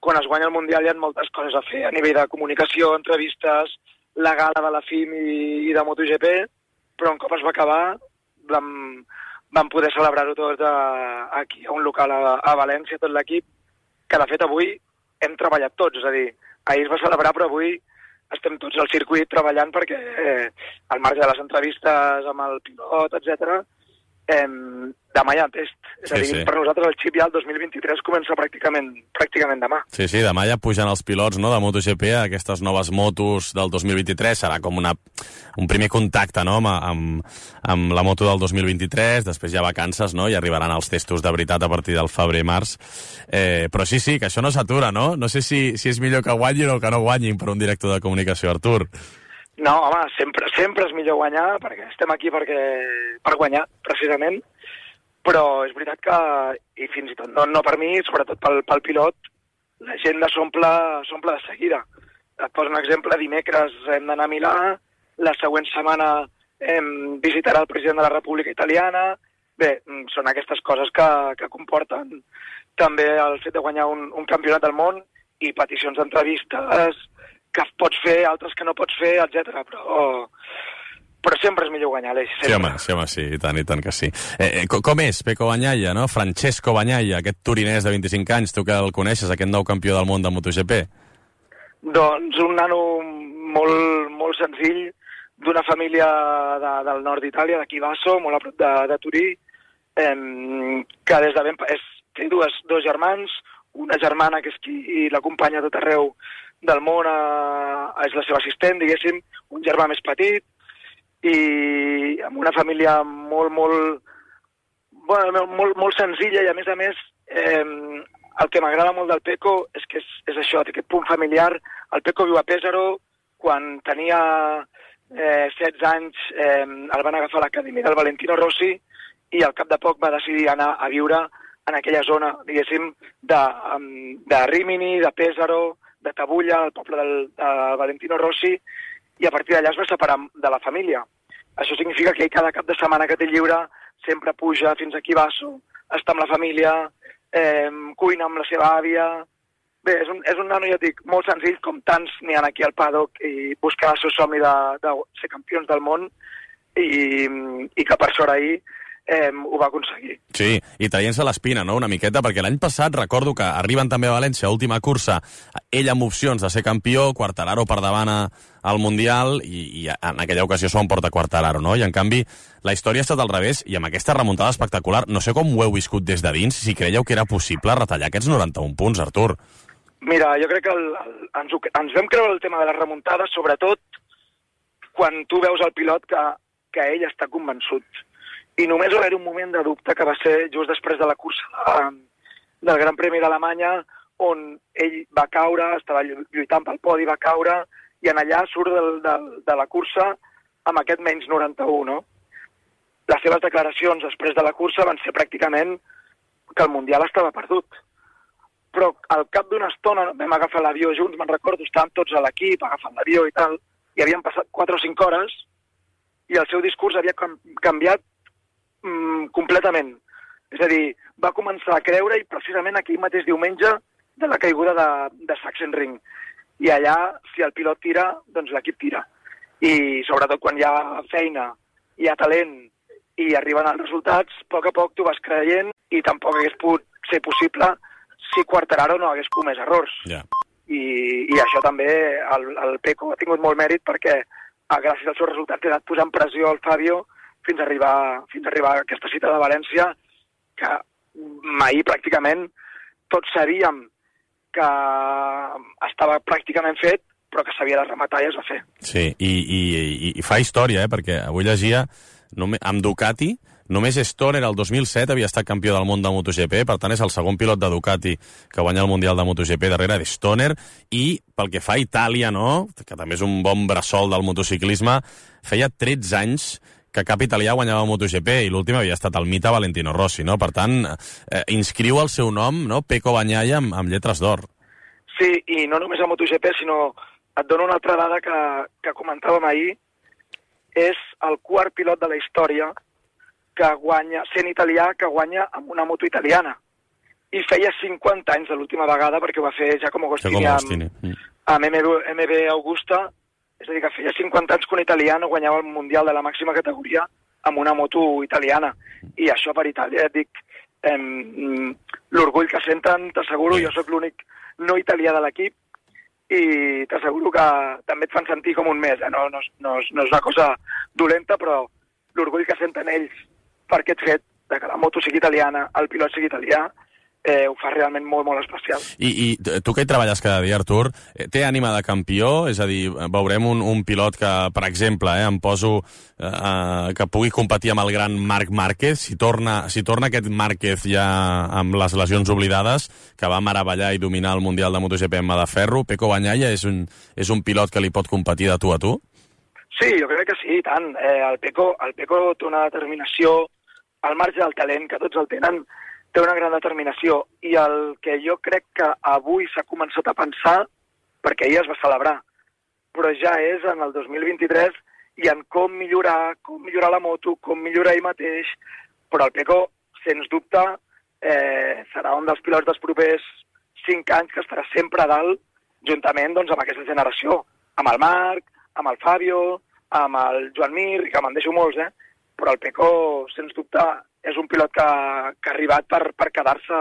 quan es guanya el Mundial hi ha moltes coses a fer a nivell de comunicació, entrevistes, la gala de la FIM i de MotoGP, però un cop es va acabar vam poder celebrar-ho tot aquí, a un local a València, tot l'equip, que de fet avui hem treballat tots, és a dir, ahir es va celebrar, però avui estem tots al circuit treballant perquè al marge de les entrevistes amb el pilot, etc. Demà hi ha test. És a dir, per nosaltres el xip ja el 2023 comença pràcticament demà. Sí, demà ja pugen els pilots, no, de MotoGP a aquestes noves motos del 2023. Serà com un primer contacte, no, amb la moto del 2023. Després hi ha vacances, no, i arribaran els testos de veritat a partir del febrer-març. Però sí, que això no s'atura, no? No sé si és millor que guanyin o que no guanyin per un director de comunicació, Artur. No, home, sempre és millor guanyar, perquè estem aquí per guanyar, precisament, però és veritat que, i fins i tot no per mi, sobretot pel pilot, l'agenda s'omple de seguida. Et poso un exemple, dimecres hem d'anar a Milà, la següent setmana visitarà el president de la República Italiana. Bé, són aquestes coses que comporten també el fet de guanyar un campionat del món i peticions d'entrevistes que pots fer, altres que no pots fer, etc. Però sempre és millor guanyar, Aleix. Sí, i tant que sí. Com és Pecco Bagnaia, no? Francesco Bagnaia, aquest torinès de 25 anys, tu que el coneixes, aquest nou campió del món de MotoGP? Doncs un nano molt senzill, d'una família del nord d'Itàlia, de Chivasso, molt a prop de Turí, que des de ben... té dos germans, una germana que és qui l'acompanya a tot arreu del món, és la seva assistent, diguéssim, un germà més petit, i amb una família molt senzilla, i a més, el que m'agrada molt del Pecco és que és això, aquest punt familiar. El Pecco viu a Pesaro, quan tenia 16 anys el van agafar a l'acadèmia del Valentino Rossi i al cap de poc va decidir anar a viure en aquella zona, diguéssim, de Rimini, de Pesaro, de Tabulla, el poble de Valentino Rossi, i a partir d'allà es va separar de la família. Això significa que ell cada cap de setmana que té lliure sempre puja fins a Chivasso, està amb la família, cuina amb la seva àvia. Bé, és un nano, ja dic, molt senzill, com tants n'hi ha aquí al paddock, i buscar el seu somni de ser campions del món, i que per sort ahir ho va aconseguir. Sí, i traient-se l'espina, no?, una miqueta, perquè l'any passat recordo que arriben també a València, última cursa, ell amb opcions de ser campió, Quartararo per davant al Mundial, i en aquella ocasió s'ho emporta Quartararo, no? I en canvi, la història ha estat al revés, i amb aquesta remuntada espectacular, no sé com ho heu viscut des de dins, si creieu que era possible retallar aquests 91 punts, Artur. Mira, jo crec que ens vam creure el tema de les remuntades, sobretot quan tu veus el pilot que ell està convençut. I només va haver un moment de dubte que va ser just després de la cursa del Gran Premi d'Alemanya, on ell va caure, estava lluitant pel podi, va caure, i en allà surt de la cursa amb aquest menys 91, no? Les seves declaracions després de la cursa van ser pràcticament que el Mundial estava perdut. Però al cap d'una estona vam agafar l'avió junts, me'n recordo, estàvem tots a l'equip agafant l'avió i tal, i havien passat 4 o 5 hores, i el seu discurs havia canviat completament. És a dir, va començar a creure, i precisament aquell mateix diumenge de la caiguda de Sachsenring. I allà, si el pilot tira, doncs l'equip tira. I sobretot quan hi ha feina, hi ha talent i arriben els resultats, a poc tu vas creient, i tampoc hagués pogut ser possible si Quartararo no hagués comès errors. Yeah. I això també, el Pecco ha tingut molt mèrit perquè gràcies als seus resultats ha anat posant pressió al Fabio fins a arribar a aquesta cita de València, que ahir pràcticament tots sabíem que estava pràcticament fet, però que s'havia de rematar i es va fer. Sí, i fa història, perquè avui llegia, amb Ducati, només Stoner el 2007 havia estat campió del món de MotoGP, per tant és el segon pilot de Ducati que guanya el Mundial de MotoGP darrere de Stoner, i pel que fa a Itàlia, no?, que també és un bon bressol del motociclisme, feia 13 anys que cap italià guanyava el MotoGP, i l'últim havia estat el mite Valentino Rossi, no? Per tant, inscriu el seu nom, no?, Pecco Bagnaia, amb lletres d'or. Sí, i no només a MotoGP, sinó et dono una altra dada que comentàvem ahir, és el quart pilot de la història que guanya, sent italià, que guanya amb una moto italiana. I feia 50 anys de l'última vegada, perquè ho va fer Giacomo Agostini amb MB Augusta, és a dir, que feia 50 anys que un italià no guanyava el Mundial de la màxima categoria amb una moto italiana. I això per Itàlia, et dic, l'orgull que senten, t'asseguro, jo sóc l'únic no italià de l'equip, i t'asseguro que també et fan sentir com un més. No és una cosa dolenta, però l'orgull que senten ells per aquest fet, de que la moto sigui italiana, el pilot sigui italià, ho fa realment molt, molt especial. I tu que hi treballes cada dia, Artur, té ànima de campió? És a dir, veurem un pilot que, per exemple, em poso que pugui competir amb el gran Marc Márquez, si torna aquest Márquez ja amb les lesions oblidades, que va meravellar i dominar el Mundial de MotoGP en mà de ferro, Pecco Bagnaia és un pilot que li pot competir de tu a tu? Sí, jo crec que sí, i tant. El Pecco té una determinació al marge del talent, que tots el tenen, té una gran determinació, i el que jo crec que avui s'ha començat a pensar, perquè ahir es va celebrar, però ja és en el 2023, i en com millorar la moto, com millorar ell mateix, però el Pecco, sens dubte, serà un dels pilots dels propers 5 anys que estarà sempre a dalt, juntament doncs, amb aquesta generació, amb el Marc, amb el Fabio, amb el Joan Mir, que me'n deixo molts, però el Pecco, sens dubte, és un pilot que ha arribat per quedar-se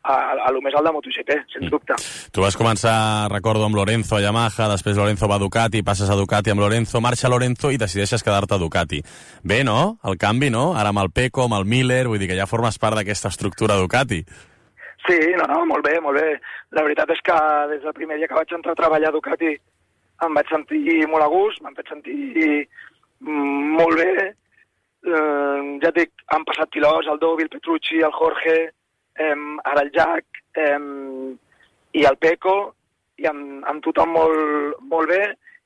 a lo més alt de MotoGP, sens dubte. Tu vas començar, recordo, amb Lorenzo a Yamaha, després Lorenzo va a Ducati, passes a Ducati amb Lorenzo, marxa Lorenzo i decideixes quedar-te a Ducati. Bé, no?, el canvi, no? Ara amb el Pecco, amb el Miller, vull dir que ja formes part d'aquesta estructura Ducati. Sí, no, molt bé, molt bé. La veritat és que des del primer dia que vaig entrar a treballar a Ducati em vaig sentir molt a gust, m'han fet sentir molt bé. Ja et dic, han passat pilots, el Dovi, el Petrucci, el Jorge, ara el Jack, i el Pecco, i amb tothom molt bé,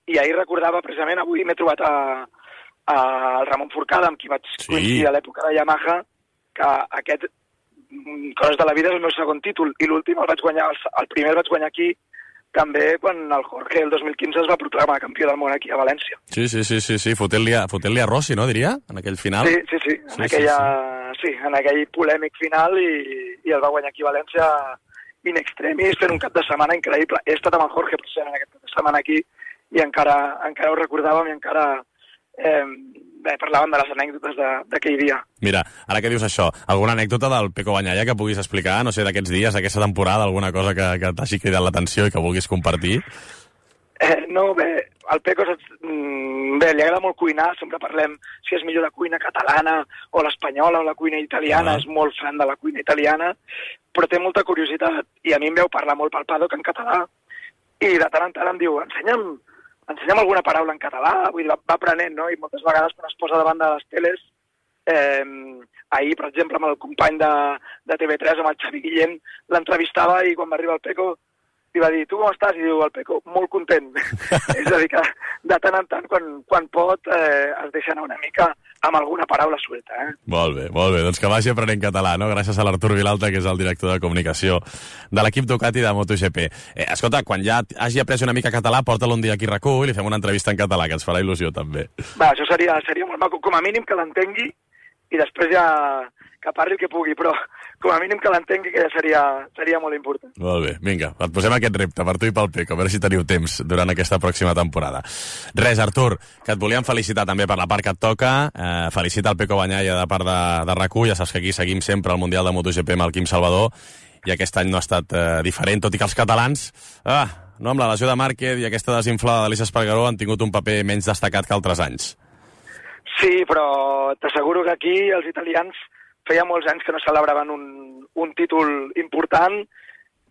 i ahir recordava, precisament, avui m'he trobat al Ramon Forcada, amb qui vaig coincidir a l'època de Yamaha, que aquest, coses de la vida, és el meu segon títol, i l'últim el primer el vaig guanyar aquí, també quan el Jorge el 2015 es va proclamar campió del món aquí a València. Sí, fotent-li a Rossi, no, diria, en aquell final? Sí, en aquell polèmic final, i el va guanyar aquí a València in extremis, fent un cap de setmana increïble. He estat amb el Jorge precisament aquest cap de setmana aquí, i encara ho recordàvem, i encara parlàvem de les anècdotes d'aquell dia. Mira, ara que dius això, alguna anècdota del Peco Bagnaia que puguis explicar, no sé, d'aquests dies, d'aquesta temporada, alguna cosa que t'hagi cridat l'atenció i que vulguis compartir? No, bé, al Peco li agrada molt cuinar, sempre parlem si és millor la cuina catalana o l'espanyola o la cuina italiana, és molt fan de la cuina italiana, però té molta curiositat i a mi em veu parlar molt pel paddock en català i de tant en tant em diu, ensenya'm alguna paraula en català, vull dir, va aprenent, no? I moltes vegades quan es posa davant de les teles, ahir, per exemple, amb el company de TV3, amb el Xavi Guillem, l'entrevistava i quan va arribar el Peco li va dir, tu com estàs? I diu el Peco, molt content. És a dir, que de tant en tant, quan pot, es deixa anar una mica amb alguna paraula suelta. Molt bé. Doncs que vagi aprenent català, no? Gràcies a l'Artur Vilalta, que és el director de comunicació de l'equip Ducati de MotoGP. Escolta, quan ja hagi après una mica català, porta-lo un dia aquí a RAC1 i li fem una entrevista en català, que ens farà il·lusió, també. Va, això seria molt maco. Com a mínim que l'entengui i després ja que parli el que pugui, però com a mínim que l'entengui, que ja seria molt important. Molt bé, vinga, et posem aquest repte per tu i pel Peco, a veure si teniu temps durant aquesta pròxima temporada. Res, Artur, que et volíem felicitar també per la part que et toca, felicita el Peco Bagnaia de part de RAC1, ja saps que aquí seguim sempre el Mundial de MotoGP amb el Quim Salvador, i aquest any no ha estat diferent, tot i que els catalans, no, amb la lesió de Márquez i aquesta desinflada d'Aleix Espargaró han tingut un paper menys destacat que altres anys. Sí, però t'asseguro que aquí els italians feia molts anys que no celebraven un títol important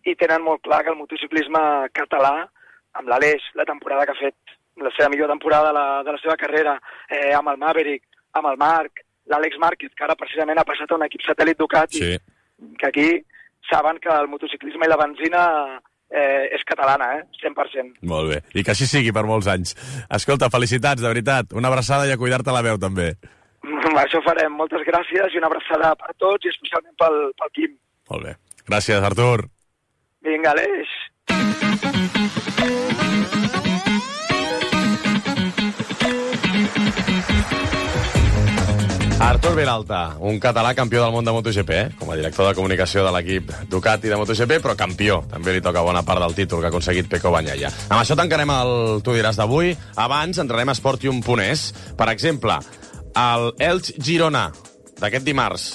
i tenen molt clar que el motociclisme català, amb l'Aleix, la temporada que ha fet, la seva millor temporada de la seva carrera, amb el Maverick, amb el Marc, l'Àlex Márquez, que ara precisament ha passat a un equip satèl·lit Ducati, que aquí saben que el motociclisme i la benzina és catalana, 100%. Molt bé, i que així sigui per molts anys. Escolta, felicitats, de veritat. Una abraçada i a cuidar-te la veu, també. Això farem. Moltes gràcies i una abraçada per tots i especialment pel Quim. Molt bé. Gràcies, Artur. Vinga, Aleix. Artur Vilalta, un català campió del món de MotoGP, com a director de comunicació de l'equip Ducati de MotoGP, però campió. També li toca bona part del títol que ha aconseguit Peco Bagnaia. Amb això tancarem el Tu diràs d'avui. Abans entrarem a Sportium.es. Per exemple, el Elx Girona d'aquest dimarts.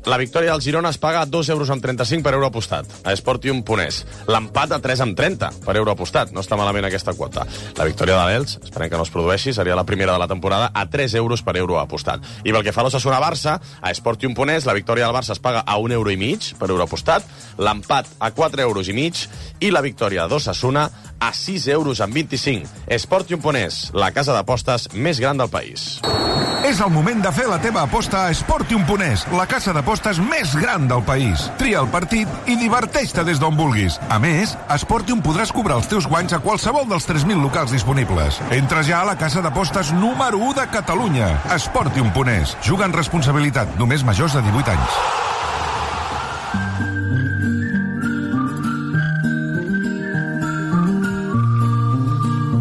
La victòria del Girona es paga a 2,35 € per euro apostat, a Sportium.es. L'empat a 3,30 per euro apostat. No està malament aquesta quota. La victòria de l'Elx, esperem que no es produeixi, seria la primera de la temporada, a 3 euros per euro apostat. I pel que fa a l'Osasuna-Barça, a Sportium.es, la victòria del Barça es paga a 1,5 € per euro apostat, l'empat a 4,5 € i la victòria d'Osasuna a 6,25 €. Sportium.es, la casa d'apostes més gran del país. És el moment de fer la teva aposta a Sportium.es, la casa d'apostes més gran del país. Tria el partit i diverteix-te des d'on vulguis. A més, a Sportium podràs cobrar els teus guanys a qualsevol dels 3.000 locals disponibles. Entra ja a la casa d'apostes número 1 de Catalunya. Sportium.es. Juga en responsabilitat, només majors de 18 anys.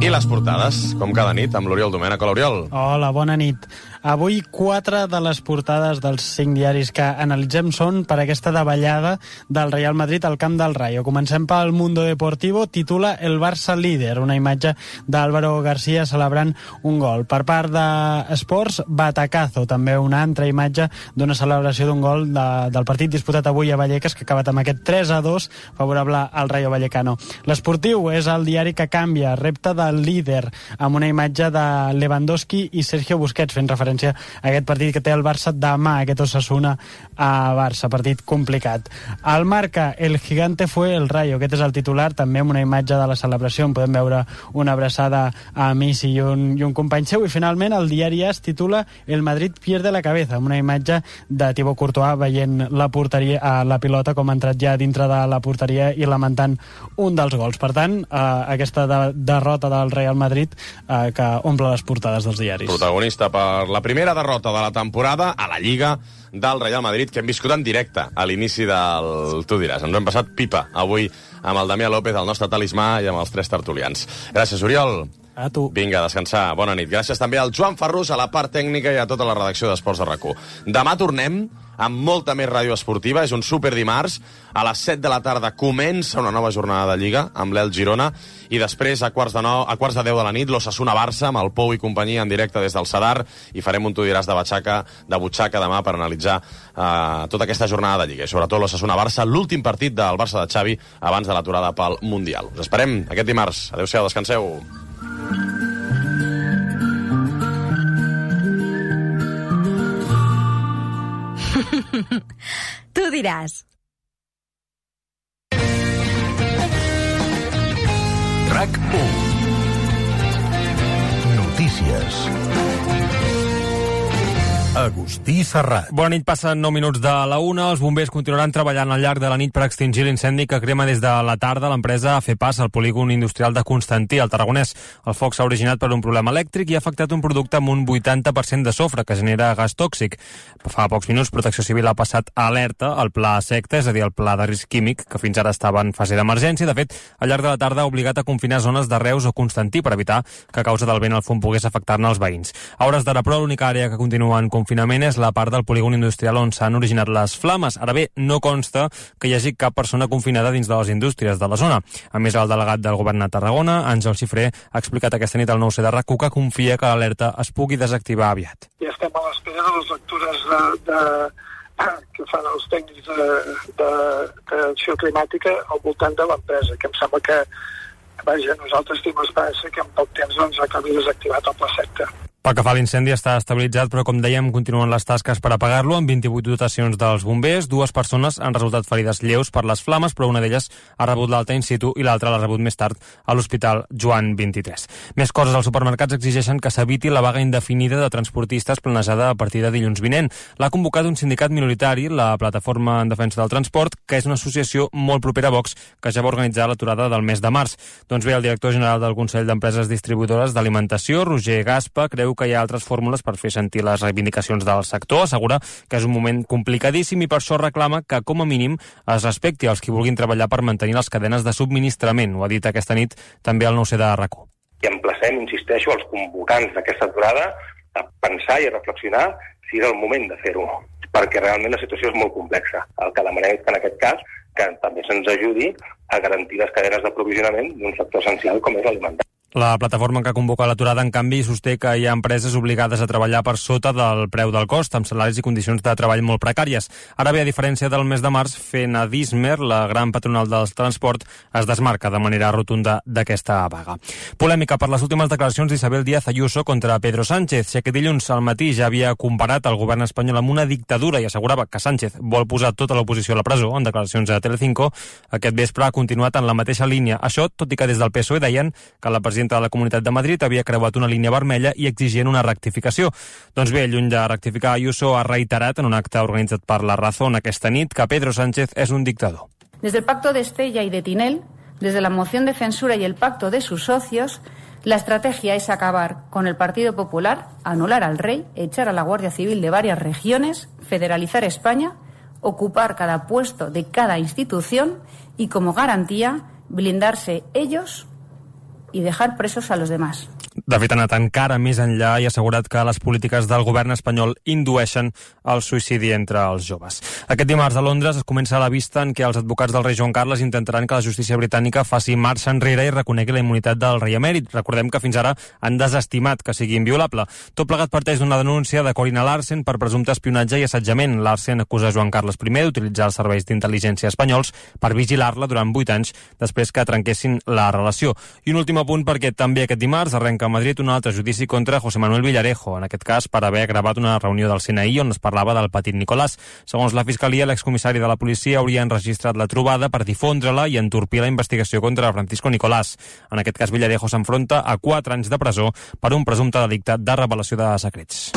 I les portades, com cada nit, amb l'Oriol Domènech. Hola, Oriol. Hola, bona nit. Avui 4 de les portades dels 5 diaris que analitzem són per aquesta davallada del Real Madrid al camp del Rayo. Comencem pel Mundo Deportivo, titula El Barça líder, una imatge d'Álvaro García celebrant un gol. Per part d'Esports, Batacazo, també una altra imatge d'una celebració d'un gol del partit disputat avui a Vallecas, que ha acabat amb aquest 3-2 favorable al Rayo Vallecano. L'Esportiu és el diari que canvia, repte del líder, amb una imatge de Lewandowski i Sergio Busquets, fent referència a aquest partit que té el Barça demà, aquest Osasuna a Barça, partit complicat. Al Marca, el gigante fue el Rayo, aquest és el titular, també amb una imatge de la celebració, on podem veure una abraçada a Messi i un company seu, i finalment el diari AS titula El Madrid pierde la cabeza, amb una imatge de Thibaut Courtois veient la pilota com ha entrat ja dintre de la porteria i lamentant un dels gols. Per tant, aquesta derrota del Real Madrid que omple les portades dels diaris. Protagonista per la primera derrota de la temporada a la Lliga del Real Madrid, que hem viscut en directe a l'inici del Tu diràs. Ens ho hem passat pipa avui amb el Damià López, el nostre talismà, i amb els 3 tertulians. Gràcies, Oriol. A tu. Vinga, a descansar. Bona nit. Gràcies també al Joan Ferrús, a la part tècnica i a tota la redacció d'Esports de RAC1. Demà tornem amb molta més ràdio esportiva. És un super dimarts. A les 7 de la tarda comença una nova jornada de Lliga amb l'Elx Girona i després a quarts de 10 de la nit l'Osasuna-Barça amb el Pou i companyia en directe des del Sadar i farem un tu diràs de butxaca demà per analitzar tota aquesta jornada de Lliga i sobretot l'Osasuna-Barça, l'últim partit del Barça de Xavi abans de l'aturada pel Mundial. Us esperem aquest dimarts. Adéu-siau, descanseu. Tu diràs. RAC1. Notícies. Agustí Serrat. Bona nit, passen 9 minuts de la 1. Els bombers continuaran treballant al llarg de la nit per extingir l'incendi que crema des de la tarda l'empresa FEPAS al polígon industrial de Constantí, al Tarragonès. El foc s'ha originat per un problema elèctric i ha afectat un producte amb un 80% de sofre que genera gas tòxic. Fa pocs minuts Protecció Civil ha passat alerta al pla secta, és a dir, el pla de risc químic, que fins ara estava en fase d'emergència. De fet, al llarg de la tarda ha obligat a confinar zones de Reus o Constantí per evitar que a causa del vent el fum pogués afectar-ne els veïns. A hores d'ara, però, l'única àrea que continua en confinament és la part del polígon industrial on s'han originat les flames. Ara bé, no consta que hi hagi cap persona confinada dins de les indústries de la zona. A més, el delegat del govern a Tarragona, Àngel Xifré, ha explicat aquesta nit al 9C de RAC1 que confia que l'alerta es pugui desactivar aviat. Ja estem a l'espera de les lectures que fan els tècnics d'acció climàtica al voltant de l'empresa, que em sembla que, nosaltres tenim esperança que en poc temps acabi desactivat el pla secta. Pel que fa a l'incendi està estabilitzat, però com dèiem continuen les tasques per apagar-lo amb 28 dotacions dels bombers. 2 persones han resultat ferides lleus per les flames, però una d'elles ha rebut l'alta in situ i l'altra l'ha rebut més tard a l'Hospital Joan 23. Més coses, els supermercats exigeixen que s'eviti la vaga indefinida de transportistes planejada a partir de dilluns vinent. L'ha convocat un sindicat minoritari, la Plataforma en Defensa del Transport, que és una associació molt propera a Vox, que ja va organitzar l'aturada del mes de març. Doncs bé, el director general del Consell d'Empreses Distribuïdores d'Alimentació, Roger Gaspa, creu que hi ha altres fórmules per fer sentir les reivindicacions del sector. Assegura que és un moment complicadíssim i per això reclama que, com a mínim, es respecti els qui vulguin treballar per mantenir les cadenes de subministrament. Ho ha dit aquesta nit també al 9C de RAC1. I emplacem, insisteixo, els convocants d'aquesta aturada a pensar i a reflexionar si és el moment de fer-ho, perquè realment la situació és molt complexa. El que demanem és que en aquest cas que també se'ns ajudi a garantir les cadenes d'aprovisionament d'un sector essencial com és l'alimentari. La plataforma que convoca l'aturada, en canvi, sosté que hi ha empreses obligades a treballar per sota del preu del cost, amb salaris i condicions de treball molt precàries. Ara bé, a diferència del mes de març, Fenadismer, la gran patronal del transport, es desmarca de manera rotunda d'aquesta vaga. Polèmica per les últimes declaracions d'Isabel Díaz Ayuso contra Pedro Sánchez. Si aquest dilluns al matí ja havia comparat el govern espanyol amb una dictadura i assegurava que Sánchez vol posar tota l'oposició a la presó, en declaracions a Telecinco, aquest vespre ha continuat en la mateixa línia. Això, tot i que des del PSOE deien que la presidenta de la Comunitat de Madrid havia creuat una línia vermella i exigien una rectificació. Doncs bé, lluny de rectificar, Ayuso ha reiterat en un acte organitzat per La Razón aquesta nit que Pedro Sánchez és un dictador. Desde el pacto de Estella y de Tinel, desde la moción de censura y el pacto de sus socios, la estrategia es acabar con el Partido Popular, anular al rey, echar a la Guardia Civil de varias regiones, federalizar España, ocupar cada puesto de cada institución y, como garantía, blindarse ellos y dejar presos a los demás. De fet, ha anat encara més enllà i ha assegurat que les polítiques del govern espanyol indueixen el suïcidi entre els joves. Aquest dimarts a Londres es comença la vista en què els advocats del rei Joan Carles intentaran que la justícia britànica faci marxa enrere i reconegui la immunitat del rei emèrit. Recordem que fins ara han desestimat que sigui inviolable. Tot plegat parteix d'una denúncia de Corina Larsen per presumpte espionatge i assetjament. Larsen acusa Joan Carles I d'utilitzar els serveis d'intel·ligència espanyols per vigilar-la durant 8 anys després que trenquessin la relació. I un últim apunt perquè també aquest dimarts arrenca a Madrid un altre judici contra José Manuel Villarejo, en aquest cas per haver gravat una reunió del CNI on es parlava del petit Nicolàs. Segons la Fiscalia, l'excomissari de la policia hauria enregistrat la trobada per difondre-la i entorpir la investigació contra Francisco Nicolàs. En aquest cas, Villarejo s'enfronta a 4 anys de presó per un presumpte delicte de revelació de secrets.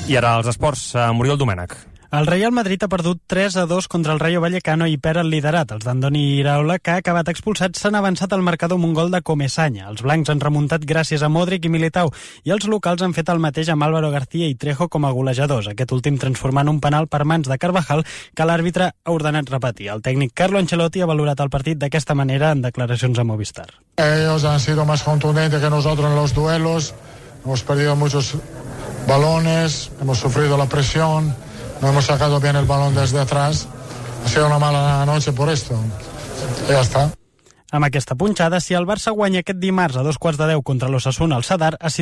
I ara els esports, Muriel Domènech. El Real Madrid ha perdut 3-2 contra el Rayo Vallecano i perd el liderat. Els d'Andoni Iraola, que ha acabat expulsat, s'han avançat al marcador amb un gol de Comesaña. Els blancs han remuntat gràcies a Modric i Militao i els locals han fet el mateix amb Álvaro García i Trejo com a golejadors, aquest últim transformant un penal per mans de Carvajal que l'àrbitre ha ordenat repetir. El tècnic Carlo Ancelotti ha valorat el partit d'aquesta manera en declaracions a Movistar. Ellos han sido más contundentes que nosotros en los duelos, hemos perdido muchos balones, hemos sufrido la presión, no hemos sacado bien el balón desde atrás. Ha sido una mala noche por esto. Y ya está. Amb aquesta punxada, si el Barça guanya aquest dimarts a 2:15 contra l'Osasuna al Sadar, es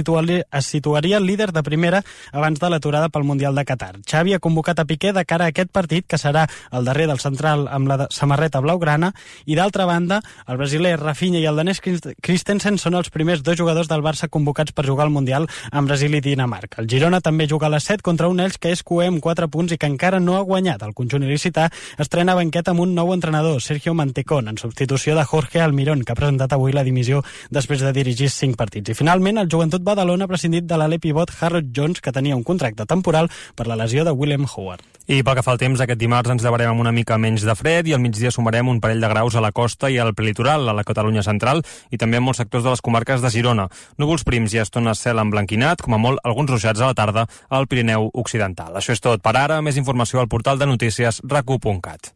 situaria líder de primera abans de l'aturada pel Mundial de Qatar. Xavi ha convocat a Piqué de cara a aquest partit, que serà el darrer del central amb la samarreta blaugrana, i d'altra banda, el brasiler Rafinha i el danès Christensen són els primers dos jugadors del Barça convocats per jugar al Mundial amb Brasil i Dinamarca. El Girona també juga a les 7 contra un Elx que és cuer amb 4 punts i que encara no ha guanyat. El conjunt il·licità estrena banquet amb un nou entrenador, Sergio Mantecón, en substitució de Jorge Almirón, que ha presentat avui la dimissió després de dirigir 5 partits. I finalment, el Joventut Badalona ha prescindit de l'ale pivot Harold Jones, que tenia un contracte temporal per la lesió de Willem Howard. I pel que fa al temps, aquest dimarts ens llevarem amb una mica menys de fred i al migdia sumarem un parell de graus a la costa i al prelitoral, a la Catalunya central i també en molts sectors de les comarques de Girona. Núvols prims i estones cel emblanquinat, com a molt alguns ruixats a la tarda al Pirineu Occidental. Això és tot per ara. Més informació al portal de notícies rac1.cat.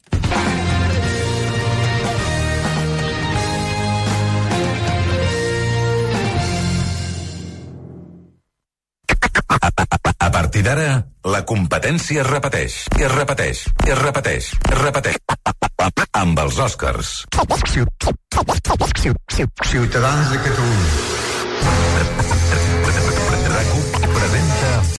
A partir d'ara, la competència es repeteix, i es repeteix, i es repeteix, i es repeteix. Amb els Oscars. Ciutadans de Catalunya.